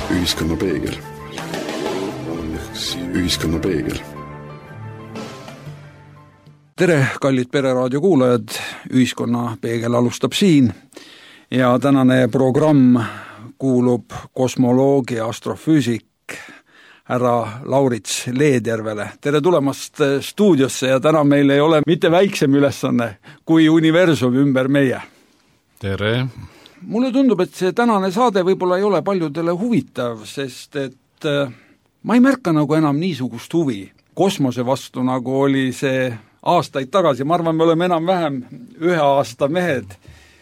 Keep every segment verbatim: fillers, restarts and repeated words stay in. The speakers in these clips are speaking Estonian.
Ühiskonna peegel. Ühiskonna peegel. Tere, kallid Pereraadio kuulajad, Ühiskonna peegel alustab siin ja tänane programm kuulub kosmoloogi ja astrofüüsik härra Laurits Leedjärvele. Tere tulemast stuudiosse ja täna meil ei ole mitte väiksem ülesanne kui universum ümber meie. Tere! Mulle tundub, et see tänane saade võib-olla ei ole paljudele huvitav, sest et ma ei märka nagu enam niisugust huvi kosmose vastu, nagu oli see aastaid tagasi. Ma arvan, me oleme enam vähem ühe aasta mehed.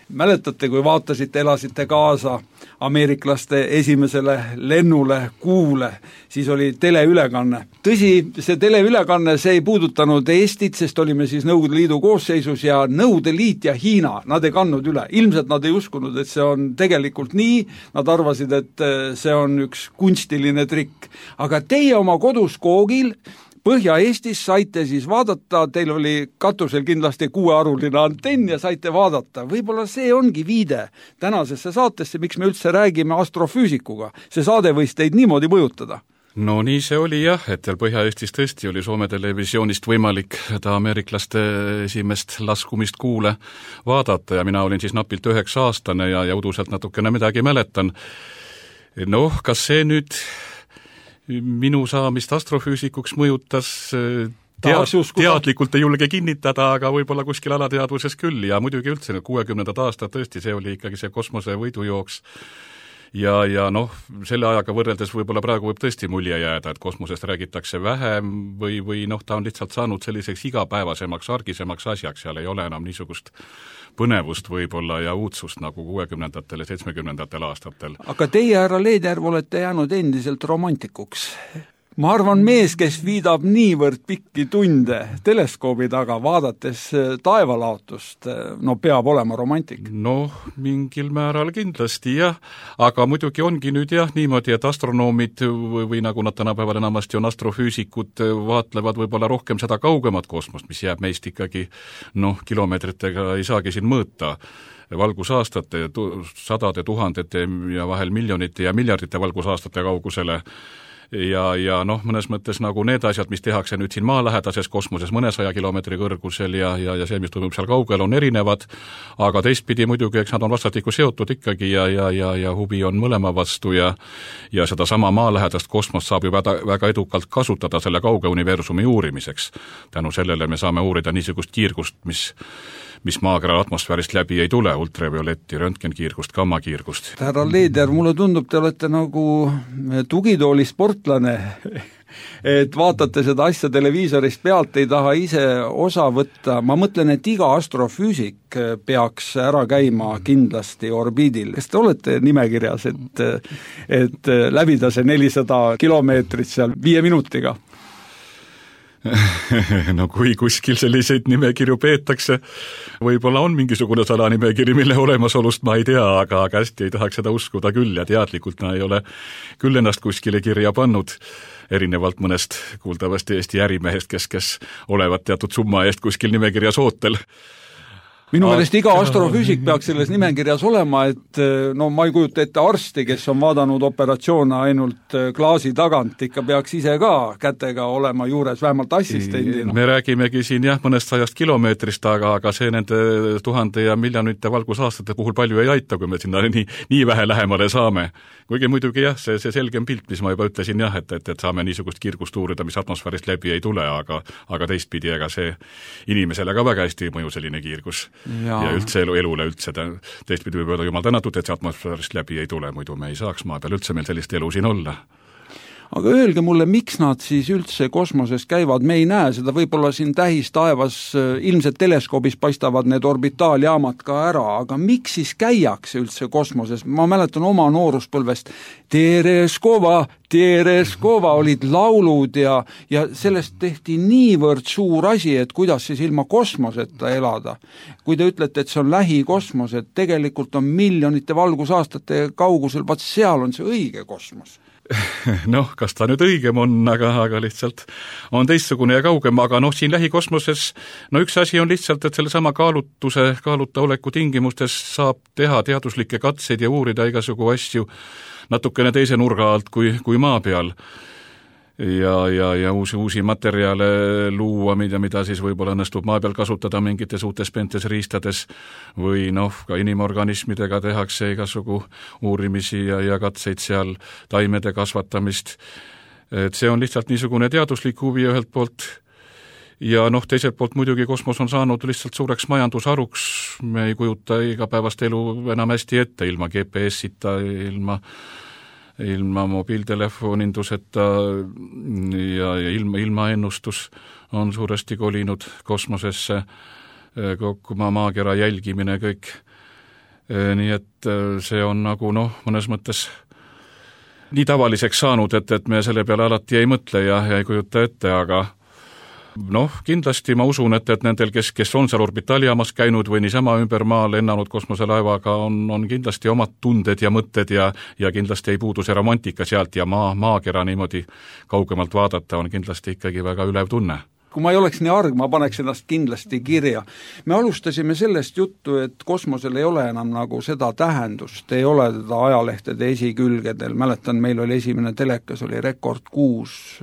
Mäletate, kui vaatasite, elasite kaasa ameeriklaste esimesele lennule kuule, siis oli teleülekanne. Tõsi, see teleülekanne, see ei puudutanud Eestit, sest olime siis Nõukogude Liidu koosseisus ja Nõukogude Liit ja Hiina, nad ei kandnud üle. Ilmselt nad ei uskunud, et see on tegelikult nii, nad arvasid, et see on üks kunstiline trikk. Aga teie oma kodus koogil Põhja-Eestis saite siis vaadata, teil oli katusel kindlasti kuuearuline antenn ja saite vaadata. Võib-olla see ongi viide tänasesse saatesse, miks me üldse räägime astrofüüsikuga. See saade võis teid niimoodi mõjutada. No nii see oli jah, et Põhja-Eestis tõesti oli Soome televisioonist võimalik ta ameeriklaste esimest laskumist kuule vaadata ja mina olin siis napilt üheksa aastane ja, ja uduselt natukene midagi mäletan. Noh, kas see nüüd minu saamist astrofüüsikuks mõjutas tead, teadlikult ei julge kinnitada, aga võib-olla kuskil alateadvuses küll ja muidugi üldse kuuekümnendad aastad tõesti see oli ikkagi see kosmose võidujooks ja, ja noh, selle ajaga võrreldes võib-olla praegu võib tõesti mulje jääda, et kosmosest räägitakse vähem või, või noh, ta on lihtsalt saanud selliseks igapäevasemaks, argisemaks asjaks, seal ei ole enam niisugust põnevust võib-olla ja uudsust nagu kuuekümnendatel ja seitsmekümnendatel aastatel. Aga teie, härra Leedjärv, olete jäänud endiselt romantikuks. Ma arvan, mees, kes viidab niivõrd pikki tunde teleskoobi taga, vaadates taevalaotust, no peab olema romantik. Noh, mingil määral kindlasti jah, aga muidugi ongi nüüd jah niimoodi, et astronoomid või, või nagu nad tänapäeval enamasti on astrofüüsikud, vaatlevad võib-olla rohkem seda kaugemat kosmost, mis jääb meist ikkagi noh, kilomeetritega ei saagi siin mõõta valgusaastate, sadade, tuhandete ja vahel miljonite ja miljardite valgusaastate kaugusele. Ja, ja noh, mõnes mõttes nagu need asjad, mis tehakse nüüd siin maalähedases kosmoses mõnesaja kilomeetri kõrgusel ja, ja, ja see, mis toimub seal kaugel, on erinevad, aga teistpidi muidugi, eks nad on vastatikku seotud ikkagi ja, ja, ja, ja huvi on mõlema vastu ja, ja seda sama maalähedast kosmost saab ju väga, väga edukalt kasutada selle kauge universumi uurimiseks. Tänu sellele me saame uurida niisugust kiirgust, mis mis maakera atmosfäärist läbi ei tule, ultravioletti, röntgenkiirgust, gammakiirgust. Härra Leedjärv, mulle tundub, te olete nagu tugitooli sportlane, et vaatate seda asja televiisorist pealt, ei taha ise osa võtta. Ma mõtlen, et iga astrofüüsik peaks ära käima kindlasti orbiidil. Kas te olete nimekirjas, et, et läbida see nelisada kilomeetrit seal viie minutiga? No kui kuskil selliseid nimekirju peetakse, võib-olla on mingisugune salanimekiri, mille olemasolust ma ei tea, aga, aga hästi ei tahaks seda uskuda küll ja teadlikult ma ei ole küll ennast kuskile kirja pannud, erinevalt mõnest kuuldavasti Eesti ärimehest, kes, kes olevat teatud summa eest kuskil nimekirjas ootel. Minu meelest iga astrofüüsik peaks selles nimekirjas olema, et no ma ei kujuta ette arsti, kes on vaadanud operatsioone ainult klaasi tagant, ikka peaks ise ka kätega olema juures, vähemalt assistendina. Me räägimegi siin jah mõnest sajast kilomeetrist, aga, aga see nende tuhande ja miljonite valgusaastate puhul palju ei aita, kui me sinna nii, nii vähe lähemale saame. Kuigi muidugi jah, see, see selgem pilt, mis ma juba ütlesin jah, et, et, et saame niisugust kiirgust uurida, mis atmosfäärist läbi ei tule, aga, aga teistpidi, ega see inimesele ka väga hästi ei mõju selline kiirgus. Ja, ja üldse elu, elule üldse, teistpidi võib öelda jumal tänatud, et see atmosfäärist läbi ei tule, muidu me ei saaks maa peal üldse meil sellist elu siin olla. Aga öelge mulle, miks nad siis üldse kosmoses käivad, me ei näe seda, võib-olla siin tähis taevas, ilmselt teleskoobis paistavad need orbitaaljaamad ka ära, aga miks siis käiakse üldse kosmoses? Ma mäletan oma nooruspõlvest, Tereskova, Tereskova olid laulud ja, ja sellest tehti niivõrd suur asi, et kuidas siis ilma kosmoseta elada. Kui te ütlete, et see on lähikosmos, et tegelikult on miljonite valgusaastate kaugusel, vaat seal on see õige kosmos. Noh, kas ta nüüd õigem on, aga, aga lihtsalt on teistsugune ja kaugem, aga noh, siin lähikosmoses, no üks asi on lihtsalt, et selle sama kaalutuse, kaaluta oleku tingimustes saab teha teaduslikke katseid ja uurida igasugu asju natukene teise nurga alt kui, kui maa peal. Ja, ja, ja uusi, uusi materjale luua, mida, mida siis võib-olla õnnestub maa peal kasutada mingites uutes pentes riistades või noh, ka inimorganismidega tehakse igasugu uurimisi ja, ja katseid seal, taimede kasvatamist. Et see on lihtsalt niisugune teaduslik huvi ühelt poolt ja noh, teiselt poolt muidugi kosmos on saanud lihtsalt suureks majandusharuks, me ei kujuta igapäevast elu enam hästi ette ilma G P S-ita, ilma ilma mobiiltelefoninduseta ja, ja ilma, ilmaennustus on suuresti kolinud kosmosesse, kokku maakera jälgimine kõik. Nii et see on nagu noh, mõnes mõttes nii tavaliseks saanud, et, et me selle peale alati ei mõtle ja, ja ei kujuta ette, aga noh, kindlasti ma usun, et, et nendel, kes, kes on seal orbitaaljaamas käinud või niisama ümber maa lennanud kosmoselaevaga, on, on kindlasti omad tunded ja mõtted ja, ja kindlasti ei puudu see romantika sealt ja maa, maakera niimoodi kaugemalt vaadata on kindlasti ikkagi väga ülev tunne. Kui ma ei oleks nii arg, ma paneks ennast kindlasti kirja. Me alustasime sellest juttu, et kosmosel ei ole enam nagu seda tähendust, ei ole teda ajalehtede esikülgedel. Mäletan, meil oli esimene telekas, oli Rekord kuus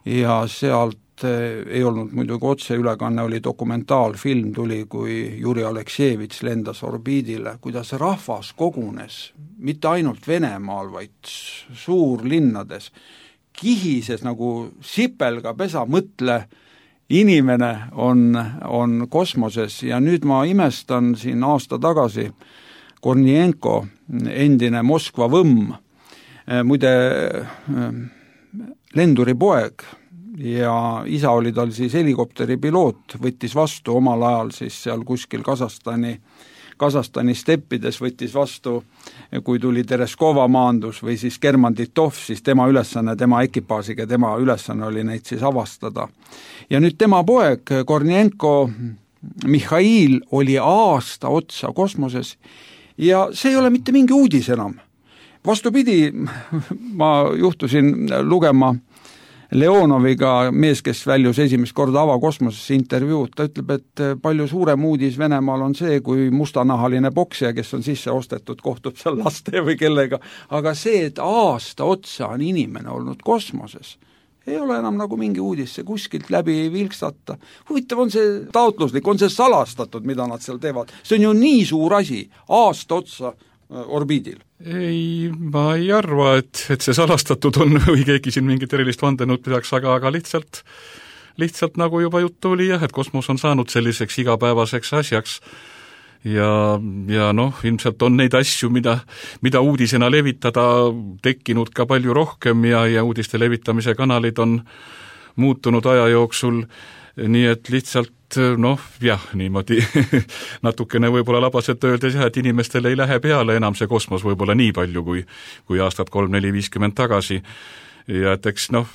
ja sealt ei olnud muidugi otseülekanne, oli dokumentaalfilm, tuli, kui Juri Aleksejevitš lendas orbiidile, kuidas rahvas kogunes, mitte ainult Venemaal, vaid suurlinnades, kihises nagu sipelga pesa, mõtle, inimene on, on kosmoses ja nüüd ma imestan siin aasta tagasi Kornienko, endine Moskva võmm, muide lenduri poeg, ja isa oli tal siis helikopteri piloot, võttis vastu omal ajal siis seal kuskil Kasahstani, Kasahstani steppides võttis vastu, kui tuli Tereskova maandus või siis German Titov, siis tema ülesanne, tema ekipaasiga, tema ülesanne oli neid siis avastada. Ja nüüd tema poeg, Kornienko Mihhail, oli aasta otsa kosmoses ja see ei ole mitte mingi uudis enam. Vastupidi, ma juhtusin lugema Leonoviga, mees, kes väljus esimest korda avakosmosesse intervjuud, ta ütleb, et palju suurem uudis Venemaal on see, kui mustanahaline poksija, kes on sisse ostetud, kohtub seal laste või kellega, aga see, et aasta otsa on inimene olnud kosmoses, ei ole enam nagu mingi uudis, see kuskilt läbi ei vilkstata. Huvitav on see taotluslik, on see salastatud, mida nad seal teevad. See on ju nii suur asi, aasta otsa orbiidil. Ei, ma ei arva, et, et see salastatud on või keegi siin mingit erilist vandenud pidaks, aga, aga lihtsalt, lihtsalt nagu juba juttu oli jah, et kosmos on saanud selliseks igapäevaseks asjaks ja, ja noh, ilmselt on neid asju, mida, mida uudisena levitada tekkinud ka palju rohkem ja, ja uudiste levitamise kanalid on muutunud aja jooksul, nii et lihtsalt noh, jah, niimoodi natukene võib-olla labaselt öeldes jah, et inimestele ei lähe peale enam see kosmos võib-olla nii palju kui, kui aastat kolm, neli, viiskümmend tagasi ja et eks noh,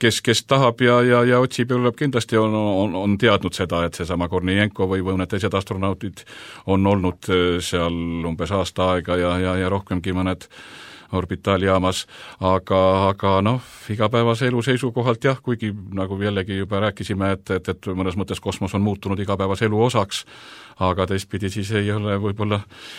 kes, kes tahab ja, ja, ja otsib ja tuleb kindlasti on, on, on teadnud seda, et seesama Kornienko või, või need teised astronautid on olnud seal umbes aasta aega ja, ja, ja rohkemgi mõned orbitaaljaamas, aga, aga noh, igapäevase elu seisukohalt jah, kuigi nagu jällegi juba rääkisime, et, et, et mõnes mõttes kosmos on muutunud igapäevase elu osaks, aga teistpidi siis ei ole võib-olla,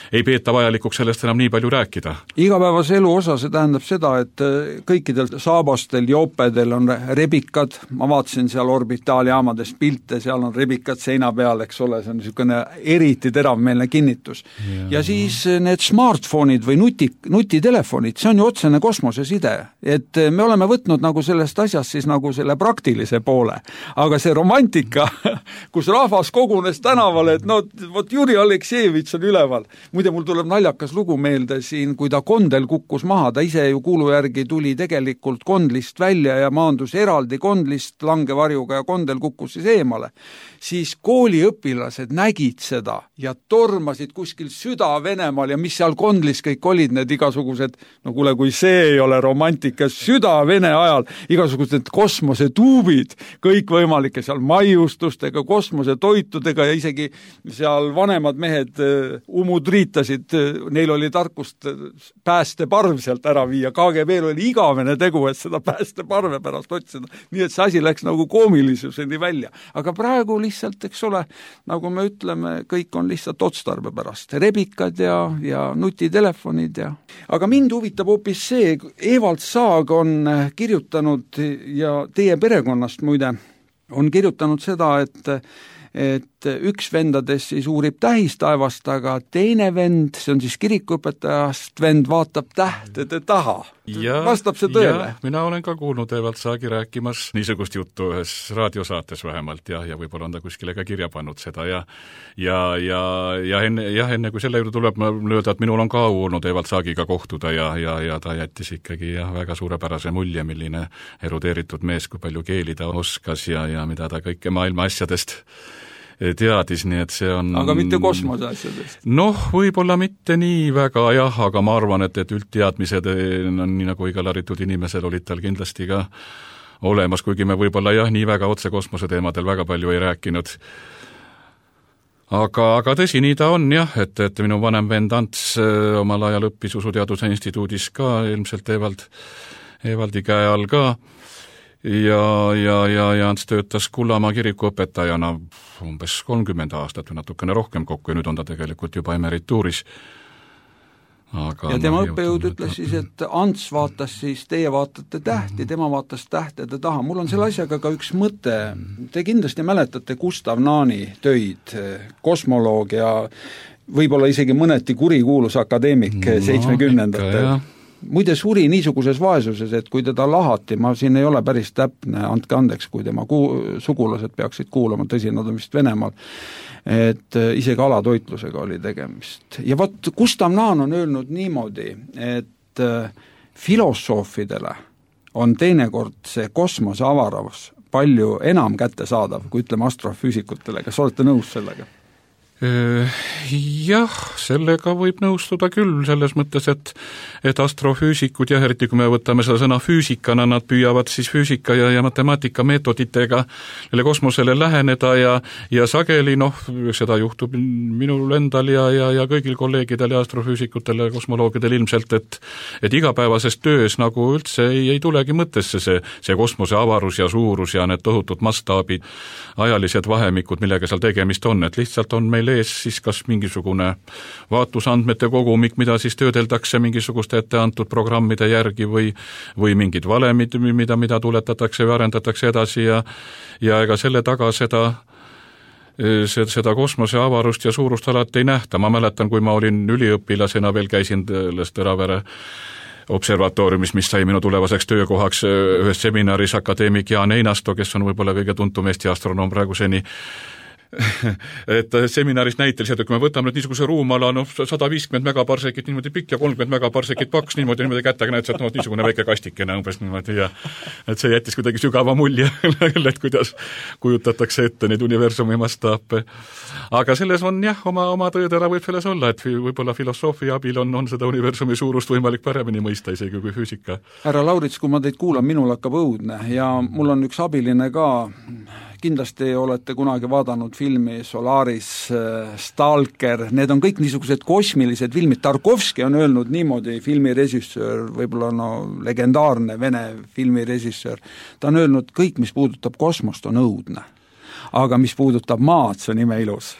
ei peeta vajalikuks sellest enam nii palju rääkida. Igapäevase elu osa, see tähendab seda, et kõikidel saabastel, joopedel on rebikad, ma vaatasin seal orbitaaljaamades pilte, seal on rebikad seina peal, eks ole, see on niisugune eriti teravmeelne kinnitus. Ja, ja siis need smartphone'id või nuti, nutitelefonid, see on ju otsene kosmoseside, et me oleme võtnud nagu sellest asjast siis nagu selle praktilise poole, aga see romantika, kus rahvas kogunes tänavale, et no vot Juri Aleksejevitš on üleval. Muide, mul tuleb naljakas lugu meelde siin, kui ta kondel kukkus maha, ta ise ju kuulu järgi tuli tegelikult kondlist välja ja maandus eraldi kondlist langevarjuga ja kondel kukkus siis eemale. Siis kooliõpilased nägid seda ja tormasid kuskil Süda Venemaal ja mis seal kondlis kõik olid, need igasugused no kuule, kui see ei ole romantika, süda-vene ajal igasugused kosmosetuubid, kõikvõimalike seal maiustustega, kosmosetoitudega ja isegi seal vanemad mehed umud riitasid, neil oli tarkust päästeparv sealt ära viia, K G B-l oli igavene tegu, et seda päästeparve pärast otsida, nii et see asi läks nagu koomilisuseni välja. Aga praegu lihtsalt, eks ole, nagu me ütleme, kõik on lihtsalt otstarbe pärast, rebikad ja, ja nutitelefonid ja aga mind huvitab hoopis see, Evald Saag on kirjutanud ja teie perekonnast muide on kirjutanud seda, et et üks vendadest siis uurib tähistaevast, aga teine vend, see on siis kirikuõpetajast vend, vaatab tähtede taha. Ja, vastab see tõele? Mina olen ka kuulnud Evald Saagi rääkimas niisugust juttu ühes raadiosaates vähemalt ja, ja võib-olla on ta kuskile ka kirja pannud seda ja ja, ja, ja enne, jah, enne kui selle juurde tuleb, ma lööda, et minul on ka olnud Evald Saagiga kohtuda ja, ja, ja ta jättis ikkagi jah, väga suurepärase mulje, milline erudeeritud mees, kui palju keeli ta oskas ja, ja mida ta kõike maailma asjadest teadis, nii et see on... Aga mitte kosmose asjadest? Noh, võib-olla mitte nii väga jah, aga ma arvan, et, et üldteadmised on nii nagu igal haritud inimesel olid tal kindlasti ka olemas, kuigi me võib-olla jah, nii väga otse kosmose teemadel väga palju ei rääkinud. Aga, aga tõsi, nii ta on jah, et, et minu vanem vend Ants omal ajal õppis Usuteaduse instituudis ka, ilmselt Evald, Evaldi käe all ka. Ja, ja, ja, ja Ants töötas Kullamaa kirikuõpetajana umbes kolmkümmend aastat või natukene rohkem kokku ja nüüd on ta tegelikult juba emerituuris. Aga ja tema õppejõud ütles siis, et Ants vaatas siis, teie vaatate tähti, tema vaatas tähtede taha. Mul on selle asjaga ka üks mõte. Te kindlasti mäletate Gustav Naani töid, kosmoloog ja võib-olla isegi mõneti kurikuulus akadeemik no, seitsmekümnendatel. Muide suri niisuguses vaesuses, et kui teda lahati, ma siin ei ole päris täpne, andke andeks, kui tema ku- sugulased peaksid kuulama, tõsi, nad on vist Venemaal, et isegi alatoitlusega oli tegemist. Ja vot Gustav Naan on öelnud niimoodi, et filosoofidele on teinekord see kosmose avaravus palju enam kättesaadav, kui ütleme astrofüüsikutele. Kas olete nõus sellega? Jah, sellega võib nõustuda küll, selles mõttes, et, et astrofüüsikud, jah, eriti kui me võtame seda sõna füüsikana, nad püüavad siis füüsika ja, ja matemaatika meetoditega kosmosele läheneda ja, ja sageli, noh, seda juhtub minul endal ja, ja, ja kõigil kolleegidel ja astrofüüsikutel ja kosmoloogidel ilmselt, et, et igapäevases töös nagu üldse ei, ei tulegi mõttesse see, see kosmose avarus ja suurus ja need tohutud mastaabid, ajalised vahemikud, millega seal tegemist on, et lihtsalt on meil ees siis kas mingisugune vaatlusandmete kogumik, mida siis töödeldakse mingisuguste etteantud programmide järgi või, või mingid valemid, mida, mida tuletatakse või arendatakse edasi ja, ja ega selle taga seda, seda kosmose avarust ja suurust alati ei nähta. Ma mäletan, kui ma olin üliõpilasena, veel käisin Tõravere observatooriumis, mis sai minu tulevaseks töökohaks ühes seminaris akadeemik Jaan Einasto, kes on võib-olla kõige tuntum Eesti astronoom praeguseni, et seminaris näiteliselt, et kui me võtame nüüd niisuguse ruumala, noh, sada viiskümmend megaparsekit niimoodi pikk ja kolmkümmend megaparsekit paks, niimoodi, niimoodi kättega näed, et noh, niisugune väike kastikene umbes niimoodi ja et see jättis kuidagi sügava mulje, et kuidas kujutatakse ette neid universumi mastaape. Aga selles on jah, oma, oma tõedera võib selles olla, et võib-olla filosoofia abil on, on seda universumi suurust võimalik paremini mõista isegi kui füüsika. Härra Laurits, kui ma teid kuulan, minul hakkab õudne ja mul on üks abiline ka, kindlasti olete kunagi vaadanud filmi Solaris, Stalker, need on kõik niisugused kosmilised filmid. Tarkovski on öelnud niimoodi, filmirežissöör, võib-olla no legendaarne Vene filmirežissöör, ta on öelnud, kõik, mis puudutab kosmost, on õudne. Aga mis puudutab maad, see on ime ilus.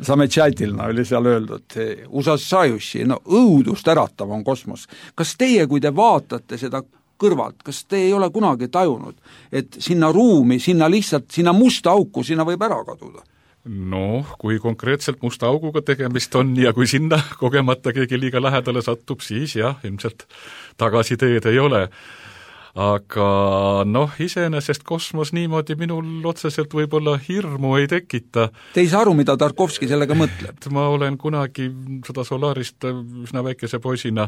Sametšatilna oli seal öeldud. Usasajuši, no õudust äratav on kosmos. Kas teie, kui te vaatate seda kõrvalt, kas te ei ole kunagi tajunud, et sinna ruumi, sinna lihtsalt, sinna musta auku, sinna võib ära kaduda? Noh, kui konkreetselt musta auguga tegemist on ja kui sinna kogemata keegi liiga lähedale satub, siis jah, ilmselt tagasi teed ei ole. Aga noh, iseenesest kosmos niimoodi minul otseselt võib-olla hirmu ei tekita. Te ei saa aru, mida Tarkovski sellega mõtleb? Ma olen kunagi seda Solarist üsna väikese poisina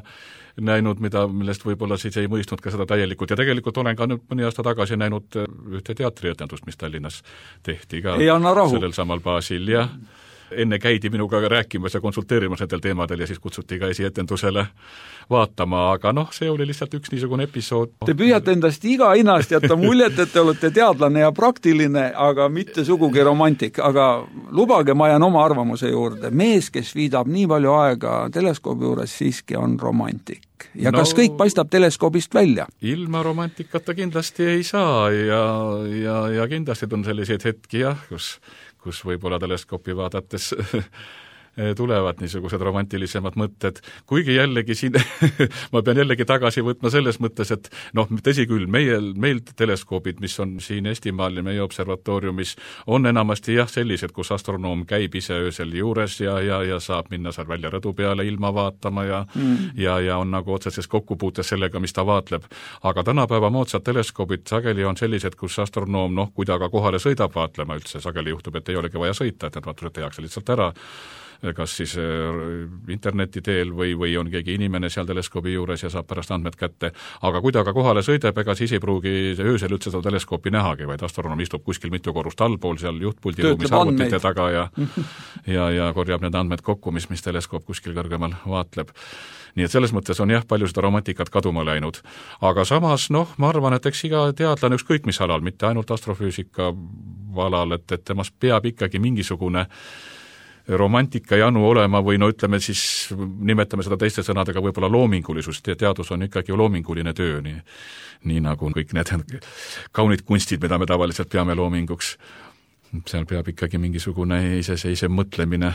näinud, mida, millest võib-olla siis ei mõistnud ka seda täielikult ja tegelikult olen ka nüüd mõni aasta tagasi näinud ühte teatrietendust, mis Tallinnas tehti ka sellel samal baasil ja enne käidi minuga rääkimas ja konsulteerimas nendel teemadel ja siis kutsuti ka esietendusele vaatama, aga noh, see oli lihtsalt üks niisugune episood. Te püüate endast iga hinnast jätta muljet, et te olete teadlane ja praktiline, aga mitte sugugi romantik, aga lubage, ma jään oma arvamuse juurde. Mees, kes viidab nii palju aega teleskoobi juures, siiski on romantik. Ja no, kas kõik paistab teleskoobist välja? Ilma romantikata kindlasti ei saa ja, ja, ja kindlasti on selliseid hetki, jah, kus, kus võib-olla teleskoopi vaadates tulevad niisugused romantilisemad mõtted, kuigi jällegi siin ma pean jällegi tagasi võtma selles mõttes, et noh, tõsi küll, meie, meil teleskoobid, mis on siin Eestimaal ja meie observatooriumis, on enamasti jah sellised, kus astronoom käib ise öösel juures ja, ja, ja saab minna seal välja rõdu peale ilma vaatama ja, mm. ja, ja on nagu otseses kokkupuutes sellega, mis ta vaatleb. Aga tänapäeva moodsad teleskoobid sageli on sellised, kus astronoom, noh, kui ta ka kohale sõidab vaatlema üldse, sageli juhtub, et ei olegi vaja sõita, et need vaatlused tehakse lihtsalt ära, kas siis interneti teel või, või on keegi inimene seal teleskoobi juures ja saab pärast andmed kätte. Aga kui ta ka kohale sõidab, ega siis ei pruugi öösel üldse seda teleskoopi nähagi, vaid astronoom istub kuskil mitu korrust allpool seal juhtpuldi ruumis arvutite taga ja, ja, ja korjab need andmed kokku, mis, mis teleskoop kuskil kõrgemal vaatleb. Nii et selles mõttes on jah, palju seda romantikat kaduma läinud. Aga samas, noh, ma arvan, et eks iga teadlane ükskõik mis alal, mitte ainult astrofüüsika alal, et, et temast peab ikkagi mingisugune romantika janu olema või no ütleme siis, nimetame seda teiste sõnadega võib-olla loomingulisust ja teadus on ikkagi loominguline töö, nii, nii nagu kõik need kaunid kunstid, mida me tavaliselt peame loominguks. Seal peab ikkagi mingisugune iseseisev mõtlemine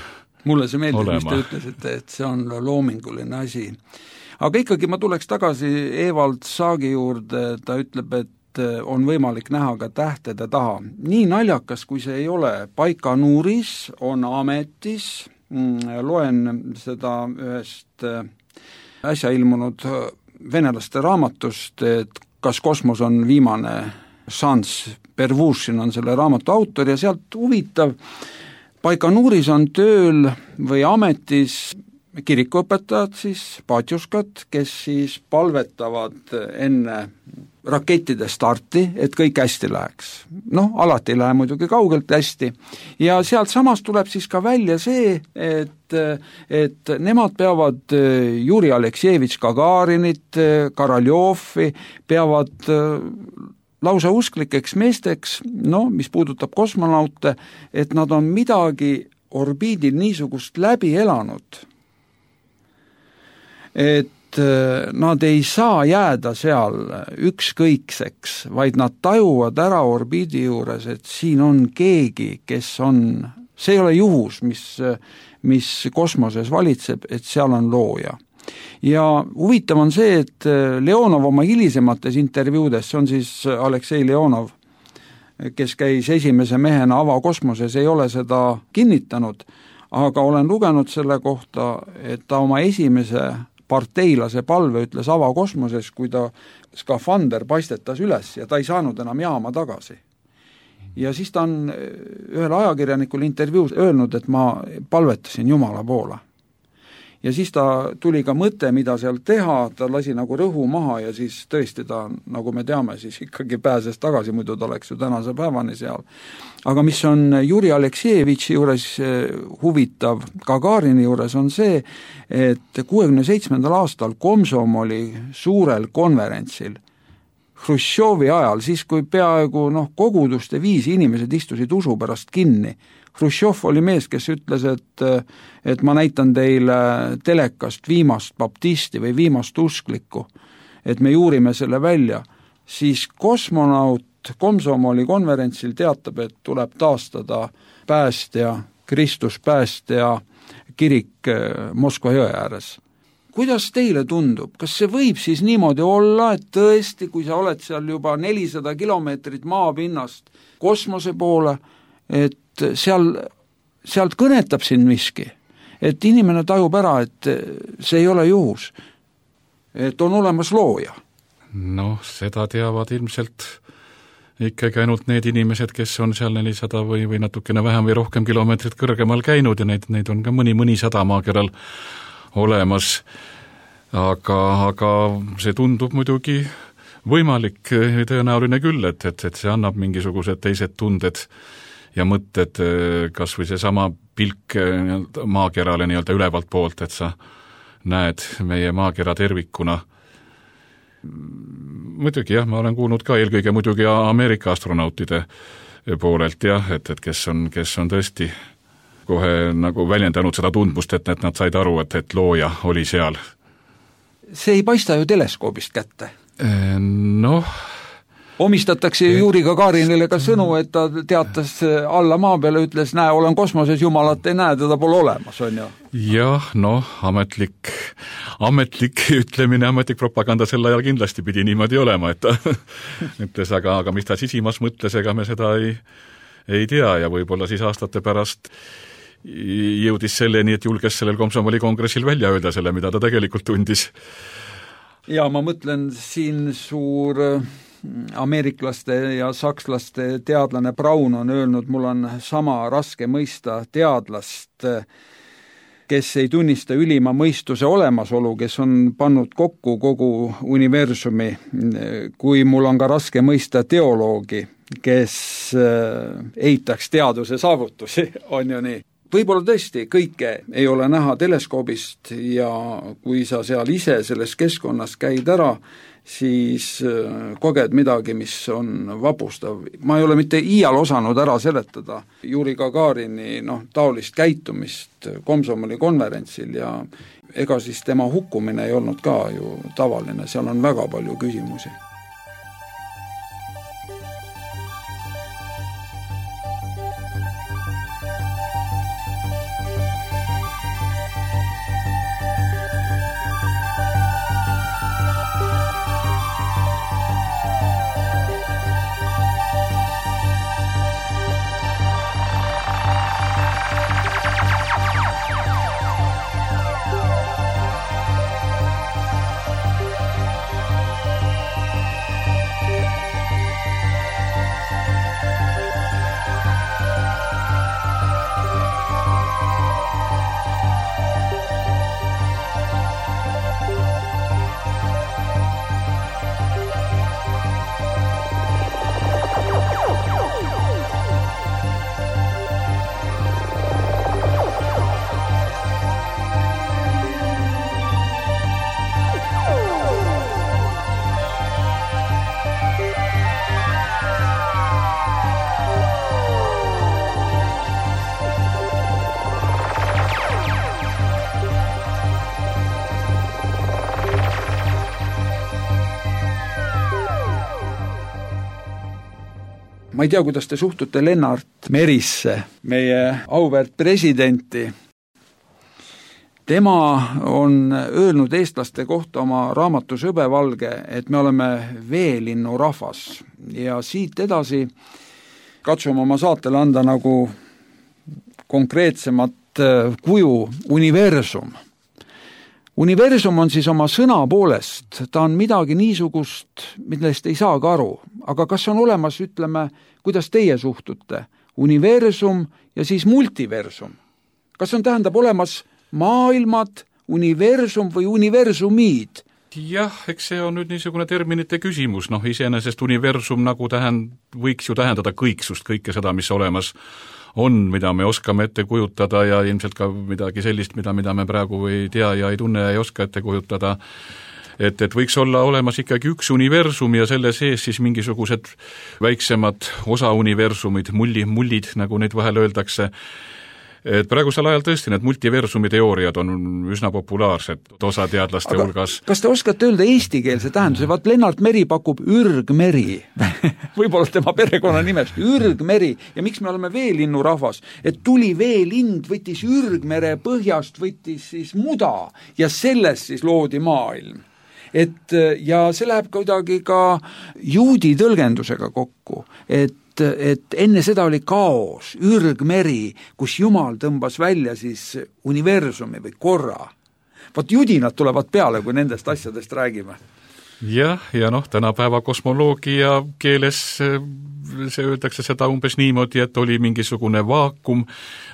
mulle see meeldib, olema. Mis te ütlesite, et see on loominguline asi. Aga ikkagi ma tuleks tagasi Evald Saagi juurde, ta ütleb, et on võimalik näha ka tähtede taha. Nii naljakas, kui see ei ole, Baikanuuris on ametis, loen seda ühest äsja ilmunud venelaste raamatust, et kas kosmos on viimane šanss, Pervušin on selle raamatu autor ja sealt huvitav, Baikanuuris on tööl või ametis kirikuõpetajad siis, paatjuskad, kes siis palvetavad enne rakettide starti, et kõik hästi läheks. Noh, alati ei lähe muidugi kaugelt hästi. Ja sealt samast tuleb siis ka välja see, et, et nemad peavad Juri Aleksejevitš Gagarinit, Karaljovi, peavad lausa usklikeks meesteks, no, mis puudutab kosmonaute, et nad on midagi orbiidil niisugust läbi elanud, et nad ei saa jääda seal ükskõikseks, vaid nad tajuvad ära orbiidi juures, et siin on keegi, kes on, see ei ole juhus, mis, mis kosmoses valitseb, et seal on looja. Ja huvitav on see, et Leonov oma hilisemates intervjuudes, see on siis Aleksei Leonov, kes käis esimese mehena avakosmoses, ei ole seda kinnitanud, aga olen lugenud selle kohta, et ta oma esimese parteilase palve ütles avakosmoses, kui ta skafander paistetas üles ja ta ei saanud enam jaama tagasi. Ja siis ta on ühel ajakirjanikul intervjuus öelnud, et ma palvetasin Jumala poole. Ja siis ta tuli ka mõte, mida seal teha, ta lasi nagu rõhu maha ja siis tõesti ta, nagu me teame, siis ikkagi pääses tagasi, muidu ta oleks ju tänase päevani seal. Aga mis on Juri Aleksejevitši juures huvitav, Gagarini juures on see, et kuuekümne seitsmendal aastal Komsomoli suurel konverentsil Hruštšovi ajal, siis kui peaaegu noh, koguduste viisi inimesed istusid usu pärast kinni, Hruštšov oli mees, kes ütles, et, et ma näitan teile telekast viimast baptisti või viimast usklikku, et me juurime selle välja, siis kosmonaut Komsomoli konverentsil teatab, et tuleb taastada päästja, Kristus päästja kirik Moskva jõe ääres. Kuidas teile tundub, kas see võib siis niimoodi olla, et tõesti, kui sa oled seal juba nelisada kilomeetrit maapinnast kosmose poole, et seal, sealt kõnetab siin miski, et inimene tajub ära, et see ei ole juhus, et on olemas looja? Noh, seda teavad ilmselt ikkagi ainult need inimesed, kes on seal nelisada või, või natukene vähem või rohkem kilomeetrit kõrgemal käinud ja neid, neid on ka mõni, mõni sada maakeral olemas, aga, aga see tundub muidugi võimalik, tõenäoline küll, et, et, et see annab mingisugused teised tunded ja mõtted, kas või see sama pilk maakerale nii-öelda ülevalt poolt, et sa näed meie maakera tervikuna. Muidugi jah, ma olen kuulnud ka eelkõige muidugi Ameerika astronautide poolelt jah, et, et kes on, kes on tõesti kohe nagu väljendanud seda tundmust, et, et nad said aru, et, et looja oli seal. See ei paista ju teleskoobist kätte. Noh, omistatakse Juri Gagarinile ka sõnu, et ta teatas alla maa peale, ütles, näe, olen kosmoses, jumalat ei näe, teda pole olemas, on ju. Jah, noh, ametlik, ametlik ütlemine, ametlik propaganda sel ajal kindlasti pidi niimoodi olema, et ta ütles, aga, aga mis ta sisimas mõtles, ega me seda ei, ei tea ja võib-olla siis aastate pärast jõudis selleni, et julges sellel Komsomoli kongressil välja öelda selle, mida ta tegelikult tundis. Ja ma mõtlen siin suur ameeriklaste ja sakslaste teadlane Braun on öelnud, mul on sama raske mõista teadlast, kes ei tunnista ülima mõistuse olemasolu, kes on pannud kokku kogu universumi, kui mul on ka raske mõista teoloogi, kes eitaks teaduse saavutusi, on ju nii. Võib-olla tõesti kõike ei ole näha teleskoobist ja kui sa seal ise selles keskkonnas käid ära, siis koged midagi, mis on vapustav. Ma ei ole mitte iial osanud ära seletada Juri Gagarini noh, taolist käitumist Komsomoli konverentsil ja ega siis tema hukkumine ei olnud ka ju tavaline, seal on väga palju küsimusi. Ma ei tea, kuidas te suhtute Lennart Merisse, meie auväärt presidenti. Tema on öelnud eestlaste kohta oma raamatus Hõbevalge, et me oleme veelinnu rahvas. Ja siit edasi katsume oma saatele anda nagu konkreetsemat kuju universum. Universum on siis oma sõna poolest, ta on midagi niisugust, millest ei saa ka aru. Aga kas on olemas, ütleme, kuidas teie suhtute? Universum ja siis multiversum. Kas on tähendab olemas maailmad, universum või universumid? Jah, eks see on nüüd niisugune terminite küsimus. Noh, iseenesest universum nagu tähend, võiks ju tähendada kõiksust, kõike seda, mis olemas on, mida me oskame ette kujutada ja ilmselt ka midagi sellist, mida, mida me praegu ei tea ja ei tunne ja ei oska ette kujutada. Et, et võiks olla olemas ikkagi üks universum ja selle sees siis mingisugused väiksemad osa universumid, mulli, mullid, nagu neid vahel öeldakse. Et praegusel ajal tõesti need multiversumi teooriad on üsna populaarsed osa teadlaste Aga hulgas. Kas te oskate öelda eestikeelse tähenduse? Vaat Lennart Meri pakub ürgmeri. Võib-olla tema perekonna nimest. Ürgmeri. Ja miks me oleme veelinnu rahvas? Et tuli veelind, võttis ürgmere põhjast, võttis siis muda ja sellest siis loodi maailm. Et, ja see läheb kuidagi ka juudi tõlgendusega kokku, et et enne seda oli kaos, ürgmeri, kus Jumal tõmbas välja siis universumi või korra. Vaat judinad tulevad peale, kui nendest asjadest räägime. jah, ja noh, tänapäeva kosmoloogia keeles see öeldakse seda umbes niimoodi, et oli mingisugune vaakum,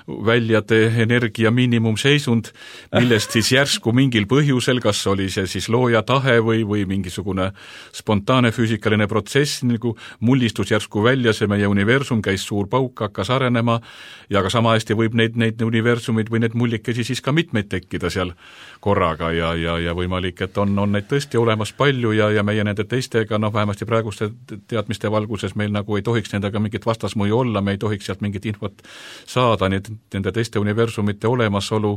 väljade energia miinimumseisund, millest siis järsku mingil põhjusel, kas oli see siis looja tahe või, või mingisugune spontaanne füüsikaline protsess, nagu mullistus järsku välja, see meie universum, käis suur pauk, hakkas arenema ja ka sama hästi võib neid, neid universumid või need mullikesi siis ka mitmeid tekkida seal korraga ja, ja, ja võimalik, et on, on neid tõesti olemas palju ja, ja meie nende teistega, noh vähemasti praeguste teadmiste valguses meil nagu ei tohiks nendega mingit vastasmõju olla, me ei tohiks sealt mingit infot saada, nii et nende teiste universumite olemasolu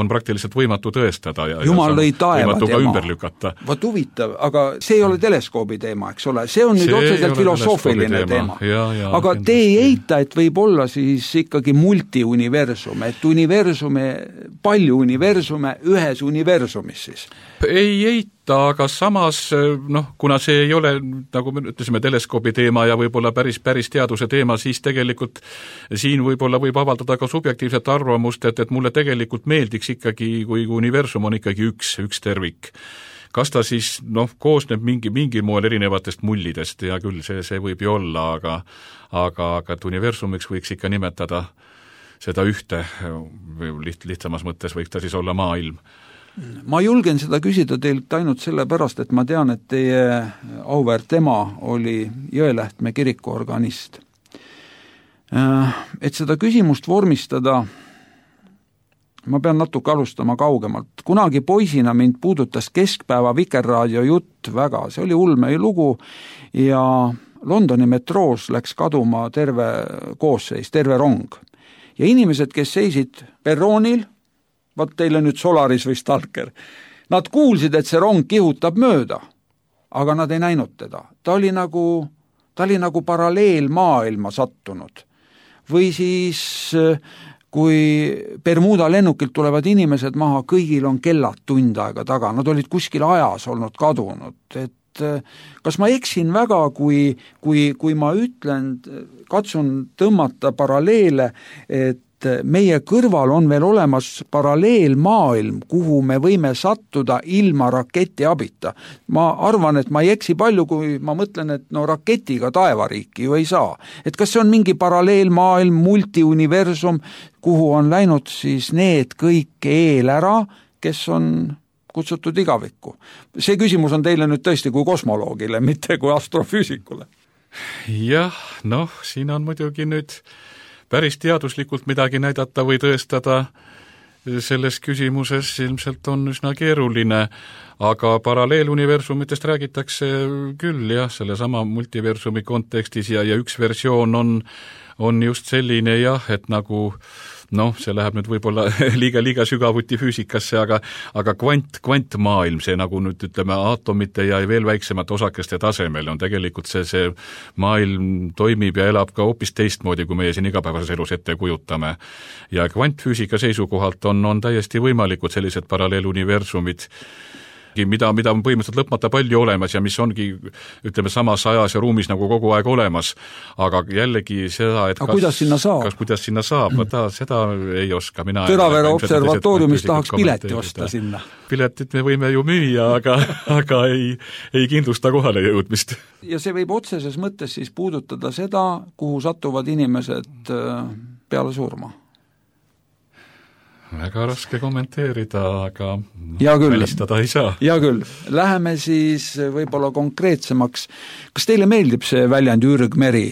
on praktiliselt võimatu tõestada ja, Jumal lõi taeva võimatu ka ümber lükata. Vaat huvitav, aga see ei ole teleskoobi teema, eks ole, see on nüüd see otseselt filosoofiline teema. Ja, ja, aga kindlasti. Te ei eita, et võib olla siis ikkagi multiuniversum, et universume, palju universume ühes universumis siis? Ei eita, aga samas, noh, kuna see ei ole, nagu me ütlesime, teleskoobi teema ja võib-olla päris, päris teaduse teema, siis tegelikult siin võib-olla võib avaldada ka subjektiivset arvamust, et, et mulle tegelikult meeldiks ikkagi, kui universum on ikkagi üks, üks tervik. Kas ta siis, noh, koosneb mingi, mingi moel erinevatest mullidest ja küll see, see võib ju olla, aga, aga, aga et universumiks võiks ikka nimetada seda ühte, liht, lihtsamas mõttes võiks ta siis olla maailm. Ma julgen seda küsida teilt ainult sellepärast, et ma tean, et teie auväärt ema oli Jõelähtme kiriku organist. Et seda küsimust vormistada, ma pean natuke alustama kaugemalt. Kunagi poisina mind puudutas keskpäeva Vikerraadio jutt väga, see oli ulme lugu ja Londoni metroos läks kaduma terve koosseis, terve rong. Ja inimesed, kes seisid perroonil, vaat teile nüüd Solaris või Stalker, nad kuulsid, et see rong kihutab mööda, aga nad ei näinud teda. Ta oli nagu, ta oli nagu paralleelmaailma sattunud. Või siis, kui Bermuda lennukilt tulevad inimesed maha, kõigil on kellad tund aega taga, nad olid kuskil ajas olnud kadunud, et kas ma eksin väga, kui, kui, kui ma ütlen, katsun tõmmata paralleele, et meie kõrval on veel olemas paralleelmaailm, kuhu me võime sattuda ilma raketi abita. Ma arvan, et ma ei eksi palju, kui ma mõtlen, et no raketiga taevariiki ju ei saa. Et kas see on mingi paralleelmaailm, multiuniversum, kuhu on läinud siis need kõik eel ära, kes on kutsutud igavikku. See küsimus on teile nüüd tõesti kui kosmoloogile, mitte kui astrofüüsikule. Jah, noh, siin on muidugi nüüd päris teaduslikult midagi näidata või tõestada selles küsimuses ilmselt on üsna keeruline, aga paralleeluniversumitest räägitakse küll jah, selle sama multiversumi kontekstis ja, ja üks versioon on, on just selline jah, et nagu noh, see läheb nüüd võib-olla liiga, liiga sügavuti füüsikasse, aga, aga kvant, kvantmaailm, see nagu nüüd ütleme aatomite ja veel väiksemate osakeste tasemel on tegelikult see, see maailm toimib ja elab ka hoopis teistmoodi, kui meie siin igapäevases elus ette kujutame. Ja kvantfüüsika seisukohalt on, on täiesti võimalikud sellised paralleeluniversumid, mida, mida on põhimõtteliselt lõpmata palju olemas ja mis ongi, ütleme, samas ajas ja ruumis nagu kogu aeg olemas, aga jällegi seda, et aga kas, kuidas sinna saab? Kas, kuidas sinna saab, ta, seda ei oska. Mina Tõravere observatooriumis tahaks pileti osta sinna. Piletit me võime ju müüa, aga, aga ei, ei kindlusta kohale jõudmist. Ja see võib otseses mõttes siis puudutada seda, kuhu satuvad inimesed peale surma. Väga raske kommenteerida, aga välistada ei saa. Ja küll. Läheme siis võib-olla konkreetsemaks. Kas teile meeldib see väljend ürgmeri,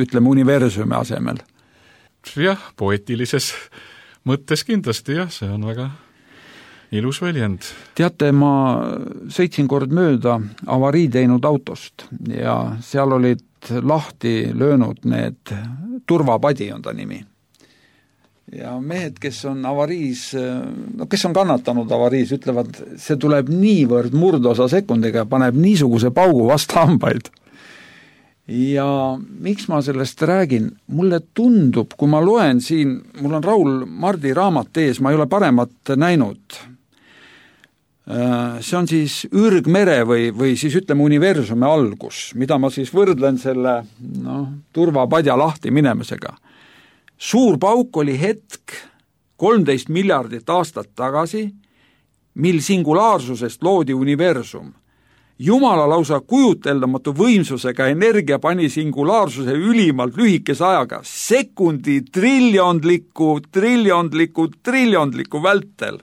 ütleme universumi asemel? Jah, poetilises mõttes kindlasti jah, see on väga ilus väljend. Teate, ma sõitsin kord mööda avarii teinud autost ja seal olid lahti löönud need turvapadi on ta nimi. Ja mehed, kes on avariis, no kes on kannatanud avariis, ütlevad, see tuleb niivõrd murdosa sekundiga ja paneb niisuguse paugu vastu hambaid. Ja miks ma sellest räägin? Mulle tundub, kui ma loen siin, mul on Raul Mardi raamat ees, ma ei ole paremat näinud. See on siis ürgmere või, või siis ütleme universumi algus, mida ma siis võrdlen selle no, turvapadja lahti minemisega. Suur pauk oli hetk kolmteist miljardit aastat tagasi, mil singulaarsusest loodi universum. Jumala lausa kujuteldamatu võimsusega energia pani singulaarsuse ülimalt lühikese ajaga, sekundi triljondliku, triljondliku, triljondliku vältel.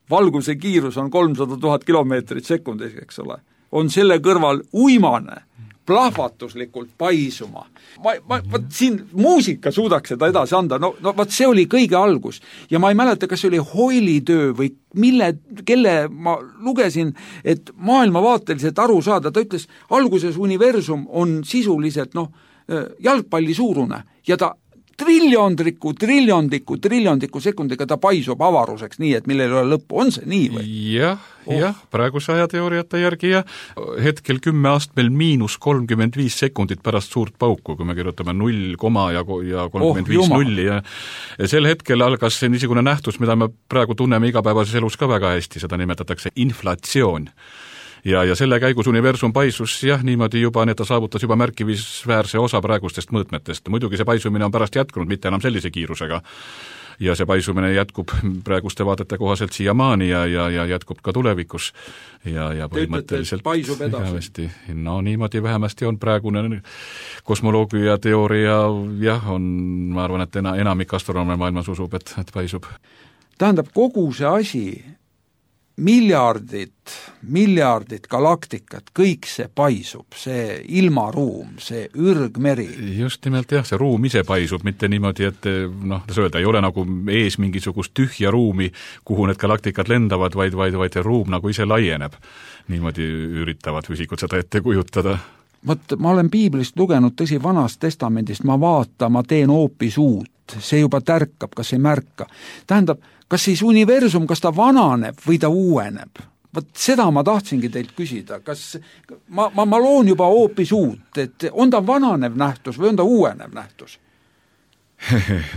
Valguse kiirus on kolmsada tuhat kilomeetrit sekundis, eks ole. On selle kõrval uimane, plahvatuslikult paisuma. Ma, ma, võt, siin muusika suudaks seda edasi anda, no, no võt, see oli kõige algus. Ja ma ei mäleta, kas see oli Hoyle'i töö või mille, kelle ma lugesin, et maailmavaateliselt aru saada, ta ütles, alguses universum on sisuliselt noh, jalgpalli suurune ja ta triljondriku, triljondliku, triljondliku sekundiga ta paisub avaruseks nii, et millel ei ole lõppu. On see nii või? Jah, oh. jah, praeguse ajateooriate järgi ja hetkel kümme astmel miinus kolmkümmend viis sekundit pärast suurt pauku, kui me kirjutame null koma ja, ja kolmkümmend viis oh, nulli ja, ja sel hetkel algas see niisugune nähtus, mida me praegu tunneme igapäevases elus ka väga hästi, seda nimetatakse inflatsioon. Ja, ja selle käigus universum paisus jah, niimoodi juba, nii et ta saavutas juba märkimisväärse osa praegustest mõõtmetest. Muidugi see paisumine on pärast jätkunud, mitte enam sellise kiirusega. Ja see paisumine jätkub praeguste vaadete kohaselt siiamaani ja, ja, ja jätkub ka tulevikus. Ja, ja põhimõtteliselt paisub edasi. No niimoodi vähemasti on praegune kosmoloogia teooria, jah, on, ma arvan, et enamik astronoome maailmas usub, et, et paisub. Tähendab, kogu see asi miljardid, miljardid galaktikat, kõik see paisub, see ilmaruum, see ürgmeri. Just nimelt jah, see ruum ise paisub, mitte niimoodi, et noh, ta öelda, ei ole nagu ees mingisugust tühja ruumi, kuhu need galaktikad lendavad, vaid, vaid, vaid see ruum nagu ise laieneb. Niimoodi üritavad füüsikud seda ette kujutada. Võt, ma olen piiblist lugenud, tõsi, vanast testamendist, ma vaata, ma teen hoopis uut, see juba tärkab, kas ei märka. Tähendab, kas siis universum, kas ta vananeb või ta uueneb? Võt, seda ma tahtsingi teilt küsida. Kas ma, ma, ma loon juba hoopis uut, et on ta vananev nähtus või on ta uuenev nähtus?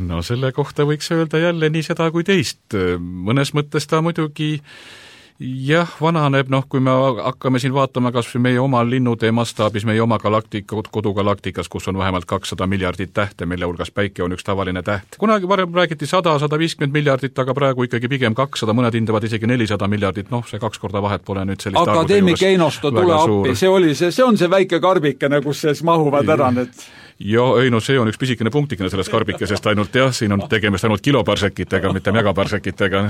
No selle kohta võiks öelda jälle nii seda kui teist. Mõnes mõttes ta muidugi jah, vananeb, noh, kui me hakkame siin vaatama kas või meie oma linnutee mastaabis, meie oma galaktika, kodugalaktikas, kus on vähemalt kakssada miljardit tähte, mille hulgas päike on üks tavaline täht. Kunagi varem räägiti sada, sada viiskümmend miljardit, aga praegu ikkagi pigem kakssada, mõned hindavad isegi nelisada miljardit, noh, see kaks korda vahet pole nüüd sellist akadeemik Einosto tule appi, see oli see, see on see väike karbikene, kus sees mahuvad ära need. Ja ei, no see on üks pisikene punktikene sellest karbikesest ainult, jah, siin on tegemist ainult kiloparsekitega, mitte megaparsekitega.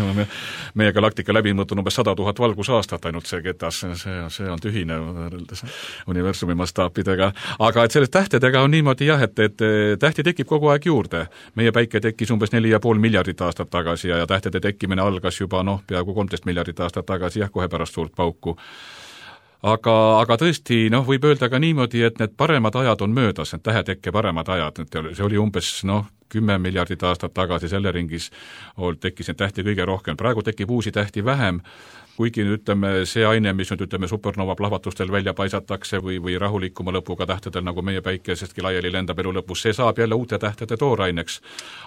Meie galaktika läbimõõt on umbes sada tuhat valgusaastat ainult see ketas, see, see on tühine universumi mastaapidega. Aga et sellest tähtedega on niimoodi jah, et, et tähti tekib kogu aeg juurde. Meie päike tekkis umbes neli ja pool miljardit aastat tagasi ja, ja tähtede tekkimine algas juba noh, peaaegu kolmteist miljardit aastat tagasi, jah, kohe pärast suurt pauku. Aga, aga tõesti, noh, võib öelda ka niimoodi, et need paremad ajad on möödas, need tähetekke paremad ajad, see oli umbes, noh, kümme miljardit aastat tagasi selle ringis tekkis neid tähti kõige rohkem. Praegu tekib uusi tähti vähem, kuigi ütleme, see aine, mis nüüd ütleme supernova plahvatustel välja paisatakse või, või rahulikuma lõpuga tähtedel, nagu meie päikesestki laiali lendab elu lõpus, see saab jälle uute tähtede tooraineks.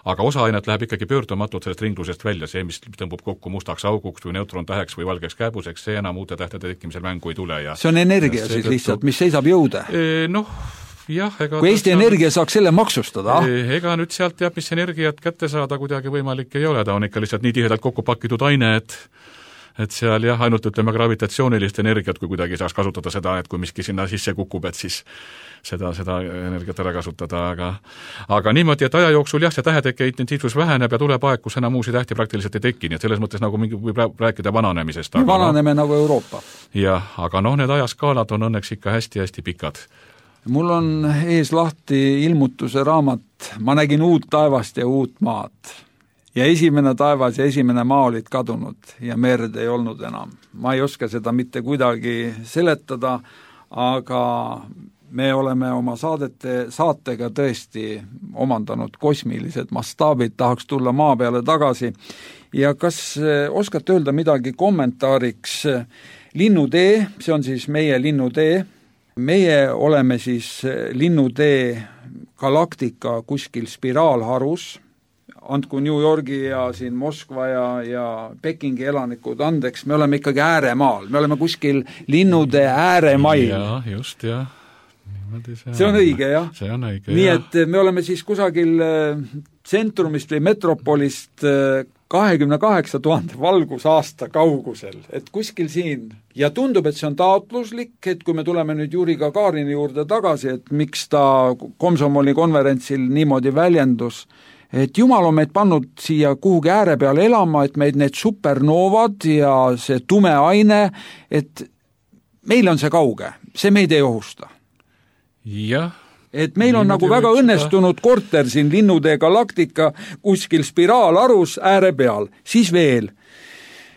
Aga osa ainet läheb ikkagi pöördumatult sellest ringlusest välja, see, mis tõmbub kokku mustaks auguks või neutrontäheks või valgeks käbuseks, see enam uute tähtede tekkimisel mängu ei tule. Ja see on energia siis lihtsalt, mis seisab jõude? E, noh, jah, ega kui Eesti Energia saaks selle maksustada? Ega nüüd sealt teab, mis energiat kätte saada kuidagi võimalik ei ole, ta on ikka lihtsalt nii tihedalt kokku pakitud aine, et et seal jah, ainult ütleme gravitatsioonilist energiat, kui kuidagi saaks kasutada seda, et kui miski sinna sisse kukub, et siis seda, seda energiat ära kasutada, aga aga niimoodi, et aja jooksul jah, see täheteke intensiivsus väheneb ja tuleb aeg, kus enam uusi tähti praktiliselt ei teki, nii et selles mõttes nagu mingi võib rääkida vananemisest. Aga vananeme no, nagu Euroopa. Jah, aga noh, need ajaskaalad on õnneks ikka hästi-hästi pikad. Mul on ees lahti ilmutuse raamat, ma nägin uut taevast ja uut maad. Ja esimene taevas ja esimene maa olid kadunud ja merd ei olnud enam. Ma ei oska seda mitte kuidagi seletada, aga me oleme oma saadete, saatega tõesti omandanud kosmilised mastaabid, tahaks tulla maa peale tagasi. Ja kas oskate öelda midagi kommentaariks? Linnutee, see on siis meie linnutee. Meie oleme siis linnutee galaktika kuskil spiraalharus. Andku New Yorgi ja siin Moskva ja, ja Pekingi elanikud andeks, me oleme ikkagi ääremaal, me oleme kuskil linnude ääremail. Ja, just, jah. see on õige, jah. see on õige, nii jah. et me oleme siis kusagil tsentrumist või metropolist kahekümne kaheksa tuhande valgusaasta kaugusel, et kuskil siin. Ja tundub, et see on taotluslik, et kui me tuleme nüüd Juri Gagarini juurde tagasi, et miks ta Komsomoli konverentsil niimoodi väljendus, et jumal on meid pannud siia kuhugi ääre peale elama, et meid need supernoovad ja see tume aine, et meil on see kauge, see meid ei ohusta. Jah. Et meil on nagu väga õnnestunud korter siin Linnutee Galaktika kuskil spiraalarus ääre peal, siis veel.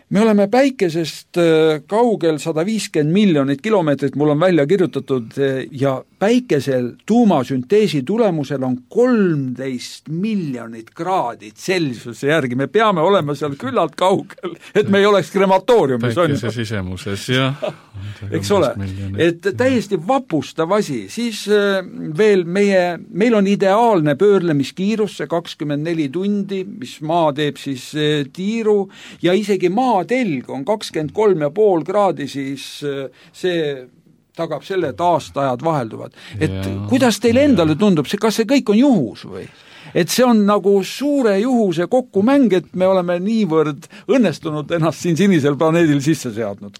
Me oleme päikesest kaugel sada viiskümmend miljonit kilomeetrit, mul on välja kirjutatud, ja päikesel tuumasünteesi tulemusel on kolmteist miljonit kraadi Celsiuse järgi. Me peame olema seal küllalt kaugel, et me ei oleks krematooriumis. Päikese sisemuses, jah. Eks ole, et täiesti vapustav asi. Siis veel meie, meil on ideaalne pöörlemiskiirus, see kakskümmend neli tundi, mis maa teeb siis tiiru, ja isegi maa telg on kakskümmend kolm ja pool kraadi, siis see tagab selle, et aastaajad vahelduvad. Et ja, kuidas teile endale tundub, see, kas see kõik on juhus või? Et see on nagu suure juhuse kokkumäng, et me oleme niivõrd õnnestunud ennast siin sinisel planeedil sisse seadnud.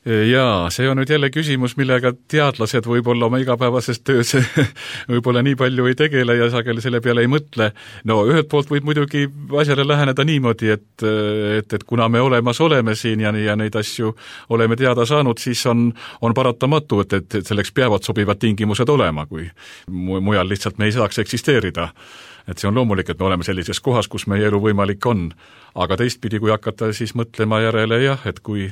Jaa, see on nüüd jälle küsimus, millega teadlased võib-olla oma igapäevases töös võib-olla nii palju ei tegele ja sageli selle peale ei mõtle. No ühelt poolt võib muidugi asjale läheneda niimoodi, et, et, et kuna me olemas oleme siin ja, ja neid asju oleme teada saanud, siis on, on paratamatu, et, et, et selleks peavad sobivad tingimused olema, kui mujal lihtsalt me ei saaks eksisteerida. Et see on loomulik, et me oleme sellises kohas, kus meie elu võimalik on. Aga teistpidi, kui hakata siis mõtlema järele, jah, et kui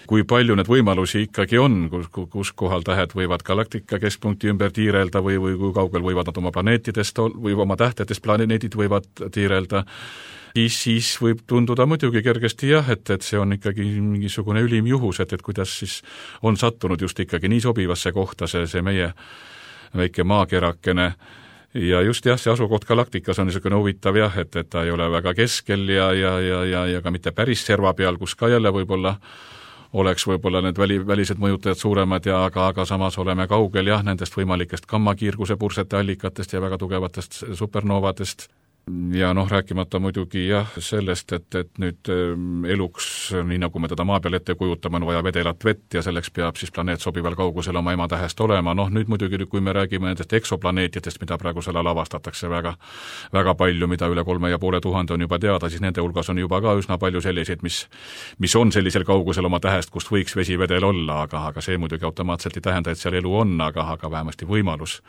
kui palju need võimalusi ikkagi on, kus, kus kohal tähed võivad galaktika keskpunkti ümber tiirelda või, või kui kaugel võivad nad oma planeetidest või oma tähtedest planeedid võivad tiirelda, siis, siis võib tunduda muidugi kergesti jah, et, et see on ikkagi mingisugune ülim juhus, et, et kuidas siis on sattunud just ikkagi nii sobivasse kohta see, see meie väike maakerakene. Ja just jah, see asukoht galaktikas on niisugune huvitav jah, et, et ta ei ole väga keskel ja, ja, ja, ja, ja ka mitte päris serva peal, kus ka jälle võib-olla oleks võib-olla need väli, välised mõjutajad suuremad ja aga, aga samas oleme kaugel jah, nendest võimalikest gammakiirguse pursete allikatest ja väga tugevatest supernoovadest. Ja noh, rääkimata muidugi jah sellest, et, et nüüd eluks, nii nagu me teda maa peal ette kujutame, on vaja vedelat vett ja selleks peab siis planeet sobival kaugusel oma ematähest olema. Noh, nüüd muidugi, kui me räägime nendest eksoplaneetidest, mida praegu selle lavastatakse väga, väga palju, mida üle kolme ja poole tuhande on juba teada, siis nende hulgas on juba ka üsna palju selliseid, mis, mis on sellisel kaugusel oma tähest, kust võiks vesivedel olla, aga, aga see muidugi automaatselt ei tähenda, et seal elu on, aga, aga vähemasti võimalus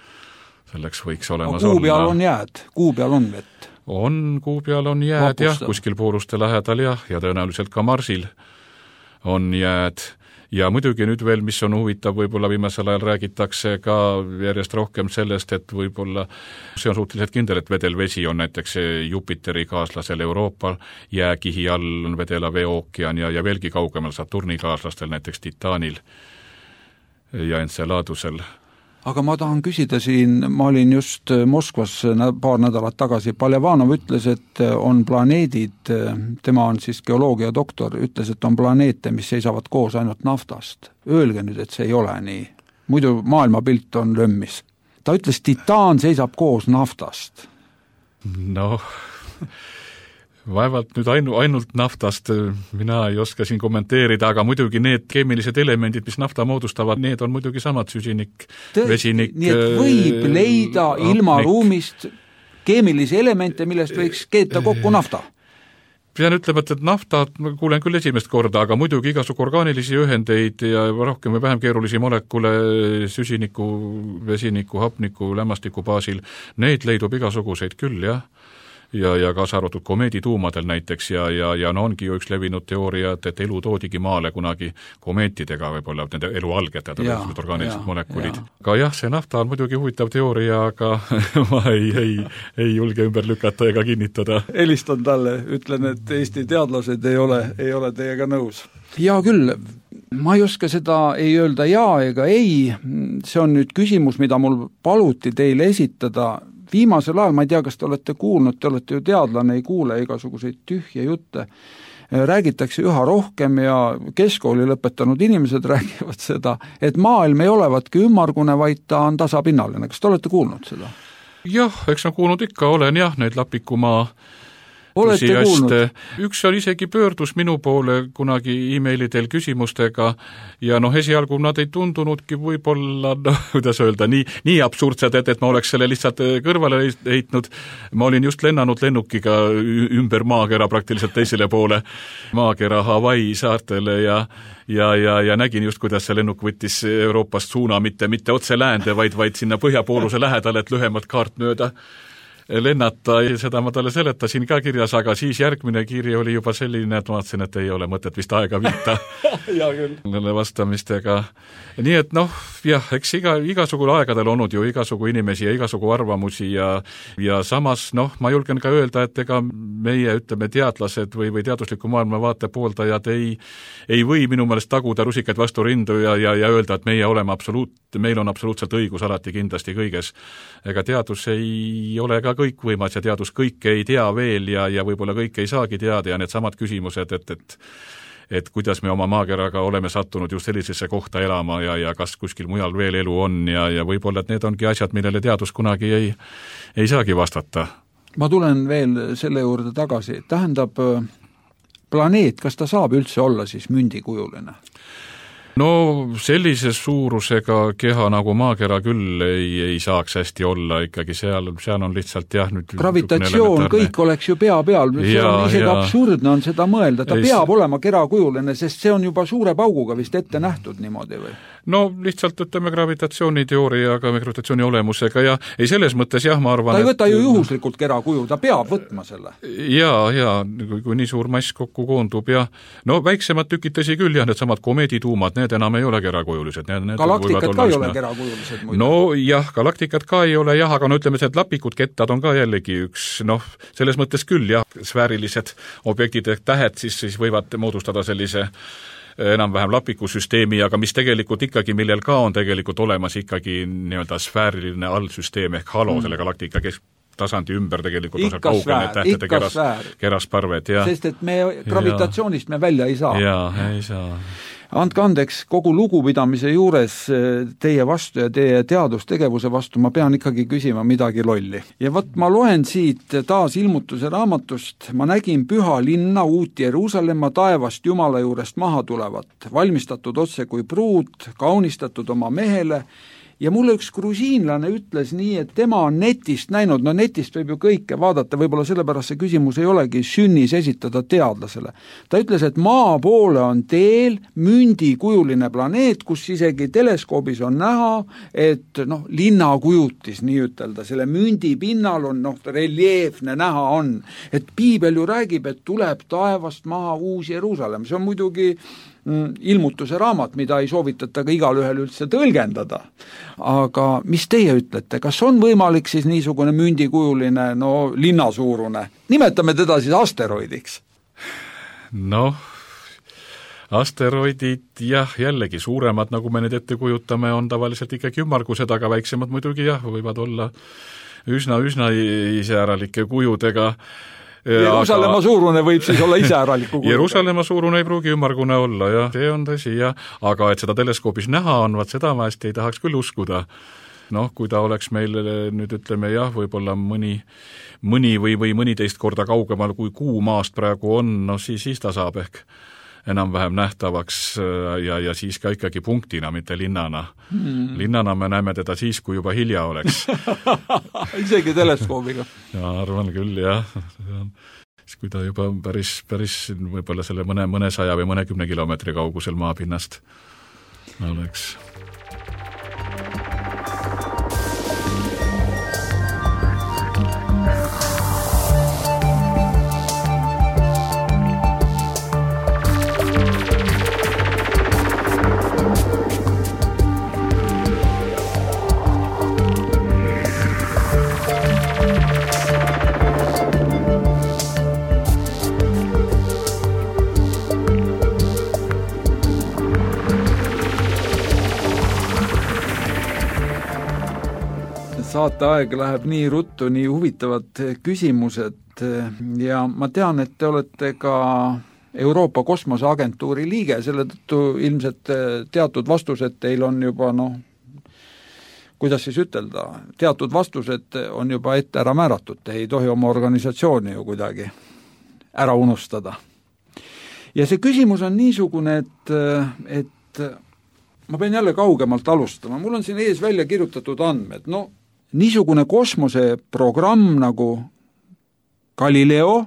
selleks võiks olemas olla. Kuu peal on jääd, kuu peal on vett. On, kuu peal on jääd jah, kuskil pooruste lähedal jah, ja tõenäoliselt ka Marsil on jääd. Ja muidugi nüüd veel, mis on huvitav, võib-olla viimasel ajal räägitakse ka järjest rohkem sellest, et võib-olla see on suhteliselt kindel, et vedelvesi on näiteks Jupiteri kaaslasel Euroopal, jääkihi all on vedela veeookean ja, ja veelgi kaugemal Saturni kaaslastel, näiteks Titaanil ja Enceladusel. Aga ma tahan küsida siin, ma olin just Moskvas paar nädalat tagasi, Paljavanov ütles, et on planeedid, tema on siis geoloogia doktor, ütles, et on planeete, mis seisavad koos ainult naftast. Öelge nüüd, et see ei ole nii. Muidu maailmapilt on lömmis. Ta ütles, Titaan seisab koos naftast. No, vaevalt nüüd ainu, ainult naftast mina ei oska siin kommenteerida, aga muidugi need keemilised elemendid, mis nafta moodustavad, need on muidugi samad süsinik, Tõesti, vesinik. Nii et võib leida äh, ilma ruumist keemilisi elemente, millest võiks keeta kokku nafta. Pean ütlema, et nafta kuulen küll esimest korda, aga muidugi igasugu orgaanilisi ühendeid ja rohkem või vähem keerulisi molekule süsiniku, vesiniku, hapniku, lämmastiku baasil, neid leidub igasuguseid küll, jah. Ja, ja kaasa arvatud komeedituumadel näiteks ja, ja, ja no ongi ju üks levinud teooria, et, et elu toodigi maale kunagi komeetidega, võib-olla nende elu alged, need orgaanilised molekulid. Aga jah, see nafta on muidugi huvitav teooria, aga ma ei, ei, ei julge ümber lükata ega kinnitada. Helistan talle, ütlen, et Eesti teadlased ei ole, ei ole teiega nõus. Ja küll, ma ei oska seda ei öelda jaa ega ei, see on nüüd küsimus, mida mul paluti teile esitada. Viimasel ajal, ma ei tea, kas te olete kuulnud, te olete ju teadlane, ei kuule igasuguseid tühje jutte. räägitakse üha rohkem ja keskkooli lõpetanud inimesed räägivad seda, et maailm ei olevatki ümmargune, vaid ta on tasapinnaline. Kas te olete kuulnud seda? Jah, eks ma kuulnud ikka olen, jah, neid Lapikumaa olete kuulnud? Üks on isegi pöördus minu poole kunagi e-mailidel küsimustega ja noh, esialgu nad ei tundunudki võib-olla, noh, kuidas öelda, nii, nii absurdsed, et, et ma oleks selle lihtsalt kõrvale heitnud. Ma olin just lennanud lennukiga ümber maakera praktiliselt teisele poole maakera Hawaii saartele ja ja, ja, ja nägin just, kuidas see lennuk võttis Euroopast suuna, mitte, mitte otse läände, vaid, vaid sinna põhjapooluse lähedale, et lühemalt kaart mööda lennata, seda ma talle seletasin ka kirjas, aga siis järgmine kiri oli juba selline, et ma vaatasin, et ei ole mõtet vist aega viita nende vastamistega. Nii et noh, jah, eks iga, igasugu aegadel olnud ju igasugu inimesi ja igasugu arvamusi ja, ja samas, noh, ma julgen ka öelda, et ega meie, ütleme, teadlased või, või teadusliku maailma vaate pooldajad ei, ei või minu meelest taguda rusikaid vastu rindu ja, ja, ja öelda, et meie oleme absoluut, meil on absoluutselt õigus alati kindlasti kõiges. Ega teadus ei ole ka kõikvõimas ja teadus kõike ei tea veel ja, ja võib-olla kõike ei saagi teada ja need samad küsimused, et, et et kuidas me oma maakeraga oleme sattunud just sellisesse kohta elama ja, ja kas kuskil mujal veel elu on ja, ja võib-olla, et need ongi asjad, millele teadus kunagi ei, ei saagi vastata. Ma tulen veel selle juurde tagasi. Tähendab, planeet, kas ta saab üldse olla siis mündikujuline? No sellise suurusega keha nagu maakera küll ei, ei saaks hästi olla, ikkagi seal, seal on lihtsalt jah nüüd gravitatsioon, kõik oleks ju pea peal, see ja, on isegi ja. Absurdne on seda mõelda, ta ei, peab olema kerakujuline, sest see on juba suure pauguga vist ette nähtud niimoodi või? No lihtsalt ütleme gravitatsiooniteooriaga, gravitatsiooni olemusega ja ei selles mõttes jah, ma arvan, ta ei võta et, ju juhuslikult kerakuju, ta peab võtma selle. Jaa, jaa, kui, kui nii suur mass kokku koondub ja no väiksemad tükid tõsi küll, jah, need samad komeedituumad, need enam ei ole kerakujulised. Need, need galaktikad ka ei ole kerakujulised muide. No jah, galaktikad ka ei ole jah, aga no ütleme, et lapikud kettad on ka jällegi üks, noh, selles mõttes küll jah, sfäärilised objektid ehk tähed siis, siis võivad moodustada sellise enam-vähem lapikusüsteemi, aga mis tegelikult ikkagi, millel ka on tegelikult olemas ikkagi nii-öelda sfääriline allsüsteem ehk halo mm. selle galaktika kes tasandi ümber tegelikult ikka sfäär, ikka keras, sfäär. Kerasparved. Ja, sest et me gravitatsioonist ja, me välja ei saa. Jaa, ei saa. Andke andeks, kogu lugupidamise juures teie vastu ja teie teadustegevuse vastu ma pean ikkagi küsima midagi lolli. Ja võt, ma loen siit taas ilmutuse raamatust, ma nägin püha linna uut Jeruusalemma taevast Jumala juurest maha tulevat, valmistatud otse kui pruut, kaunistatud oma mehele, ja mulle üks grusiinlane ütles nii, et tema on netist näinud, no netist võib ju kõike vaadata, võib-olla sellepärast see küsimus ei olegi sünnis esitada teadlasele. Ta ütles, et maa poole on teel mündikujuline planeet, kus isegi teleskoobis on näha, et noh, linnakujutis nii ütelda, selle mündi pinnal on noh, reljeefne näha on, et piibel ju räägib, et tuleb taevast maha uus Jeruusalemm, see on muidugi ilmutuse raamat, mida ei soovitata ka igal ühel üldse tõlgendada. Aga mis teie ütlete, kas on võimalik siis niisugune mündikujuline, no linnasuurune, nimetame teda siis asteroidiks? Noh, asteroidid jah, jällegi suuremad, nagu me need ette kujutame, on tavaliselt ikkagi ümmargused, aga väiksemad muidugi jah, võivad olla üsna, üsna iseäralike kujudega. Jeruusalemma suurune võib siis olla iseäraliku kujudega. Jeruusalemma suurune ei pruugi ümmargune olla, jah, see on tõsi, jah, aga et seda teleskoobis näha on, vaat seda ma hästi ei tahaks küll uskuda. Noh, kui ta oleks meil nüüd ütleme jah, võib-olla mõni, mõni või, või mõniteist korda kaugemal kui kuu maast praegu on, no siis, siis ta saab ehk enam-vähem nähtavaks ja, ja siis ka ikkagi punktina, mitte linnana. Hmm. Linnana me näeme teda siis, kui juba hilja oleks. Isegi teleskoobiga. Ja arvan küll, jah. Kui ta juba päris, päris võib-olla selle mõne, mõne saja või mõne kümne kilomeetri kaugusel maapinnast oleks. Saateaeg läheb nii ruttu, nii huvitavad küsimused ja ma tean, et te olete ka Euroopa Kosmoseagentuuri liige, selle tõttu ilmselt teatud vastused teil on juba noh, kuidas siis ütelda, teatud vastused on juba ette ära määratud, te ei tohi oma organisatsiooni ju kuidagi ära unustada. Ja see küsimus on niisugune, et, et ma pean jälle kaugemalt alustama, mul on siin ees välja kirjutatud andmed, no niisugune kosmoseprogramm nagu Galileo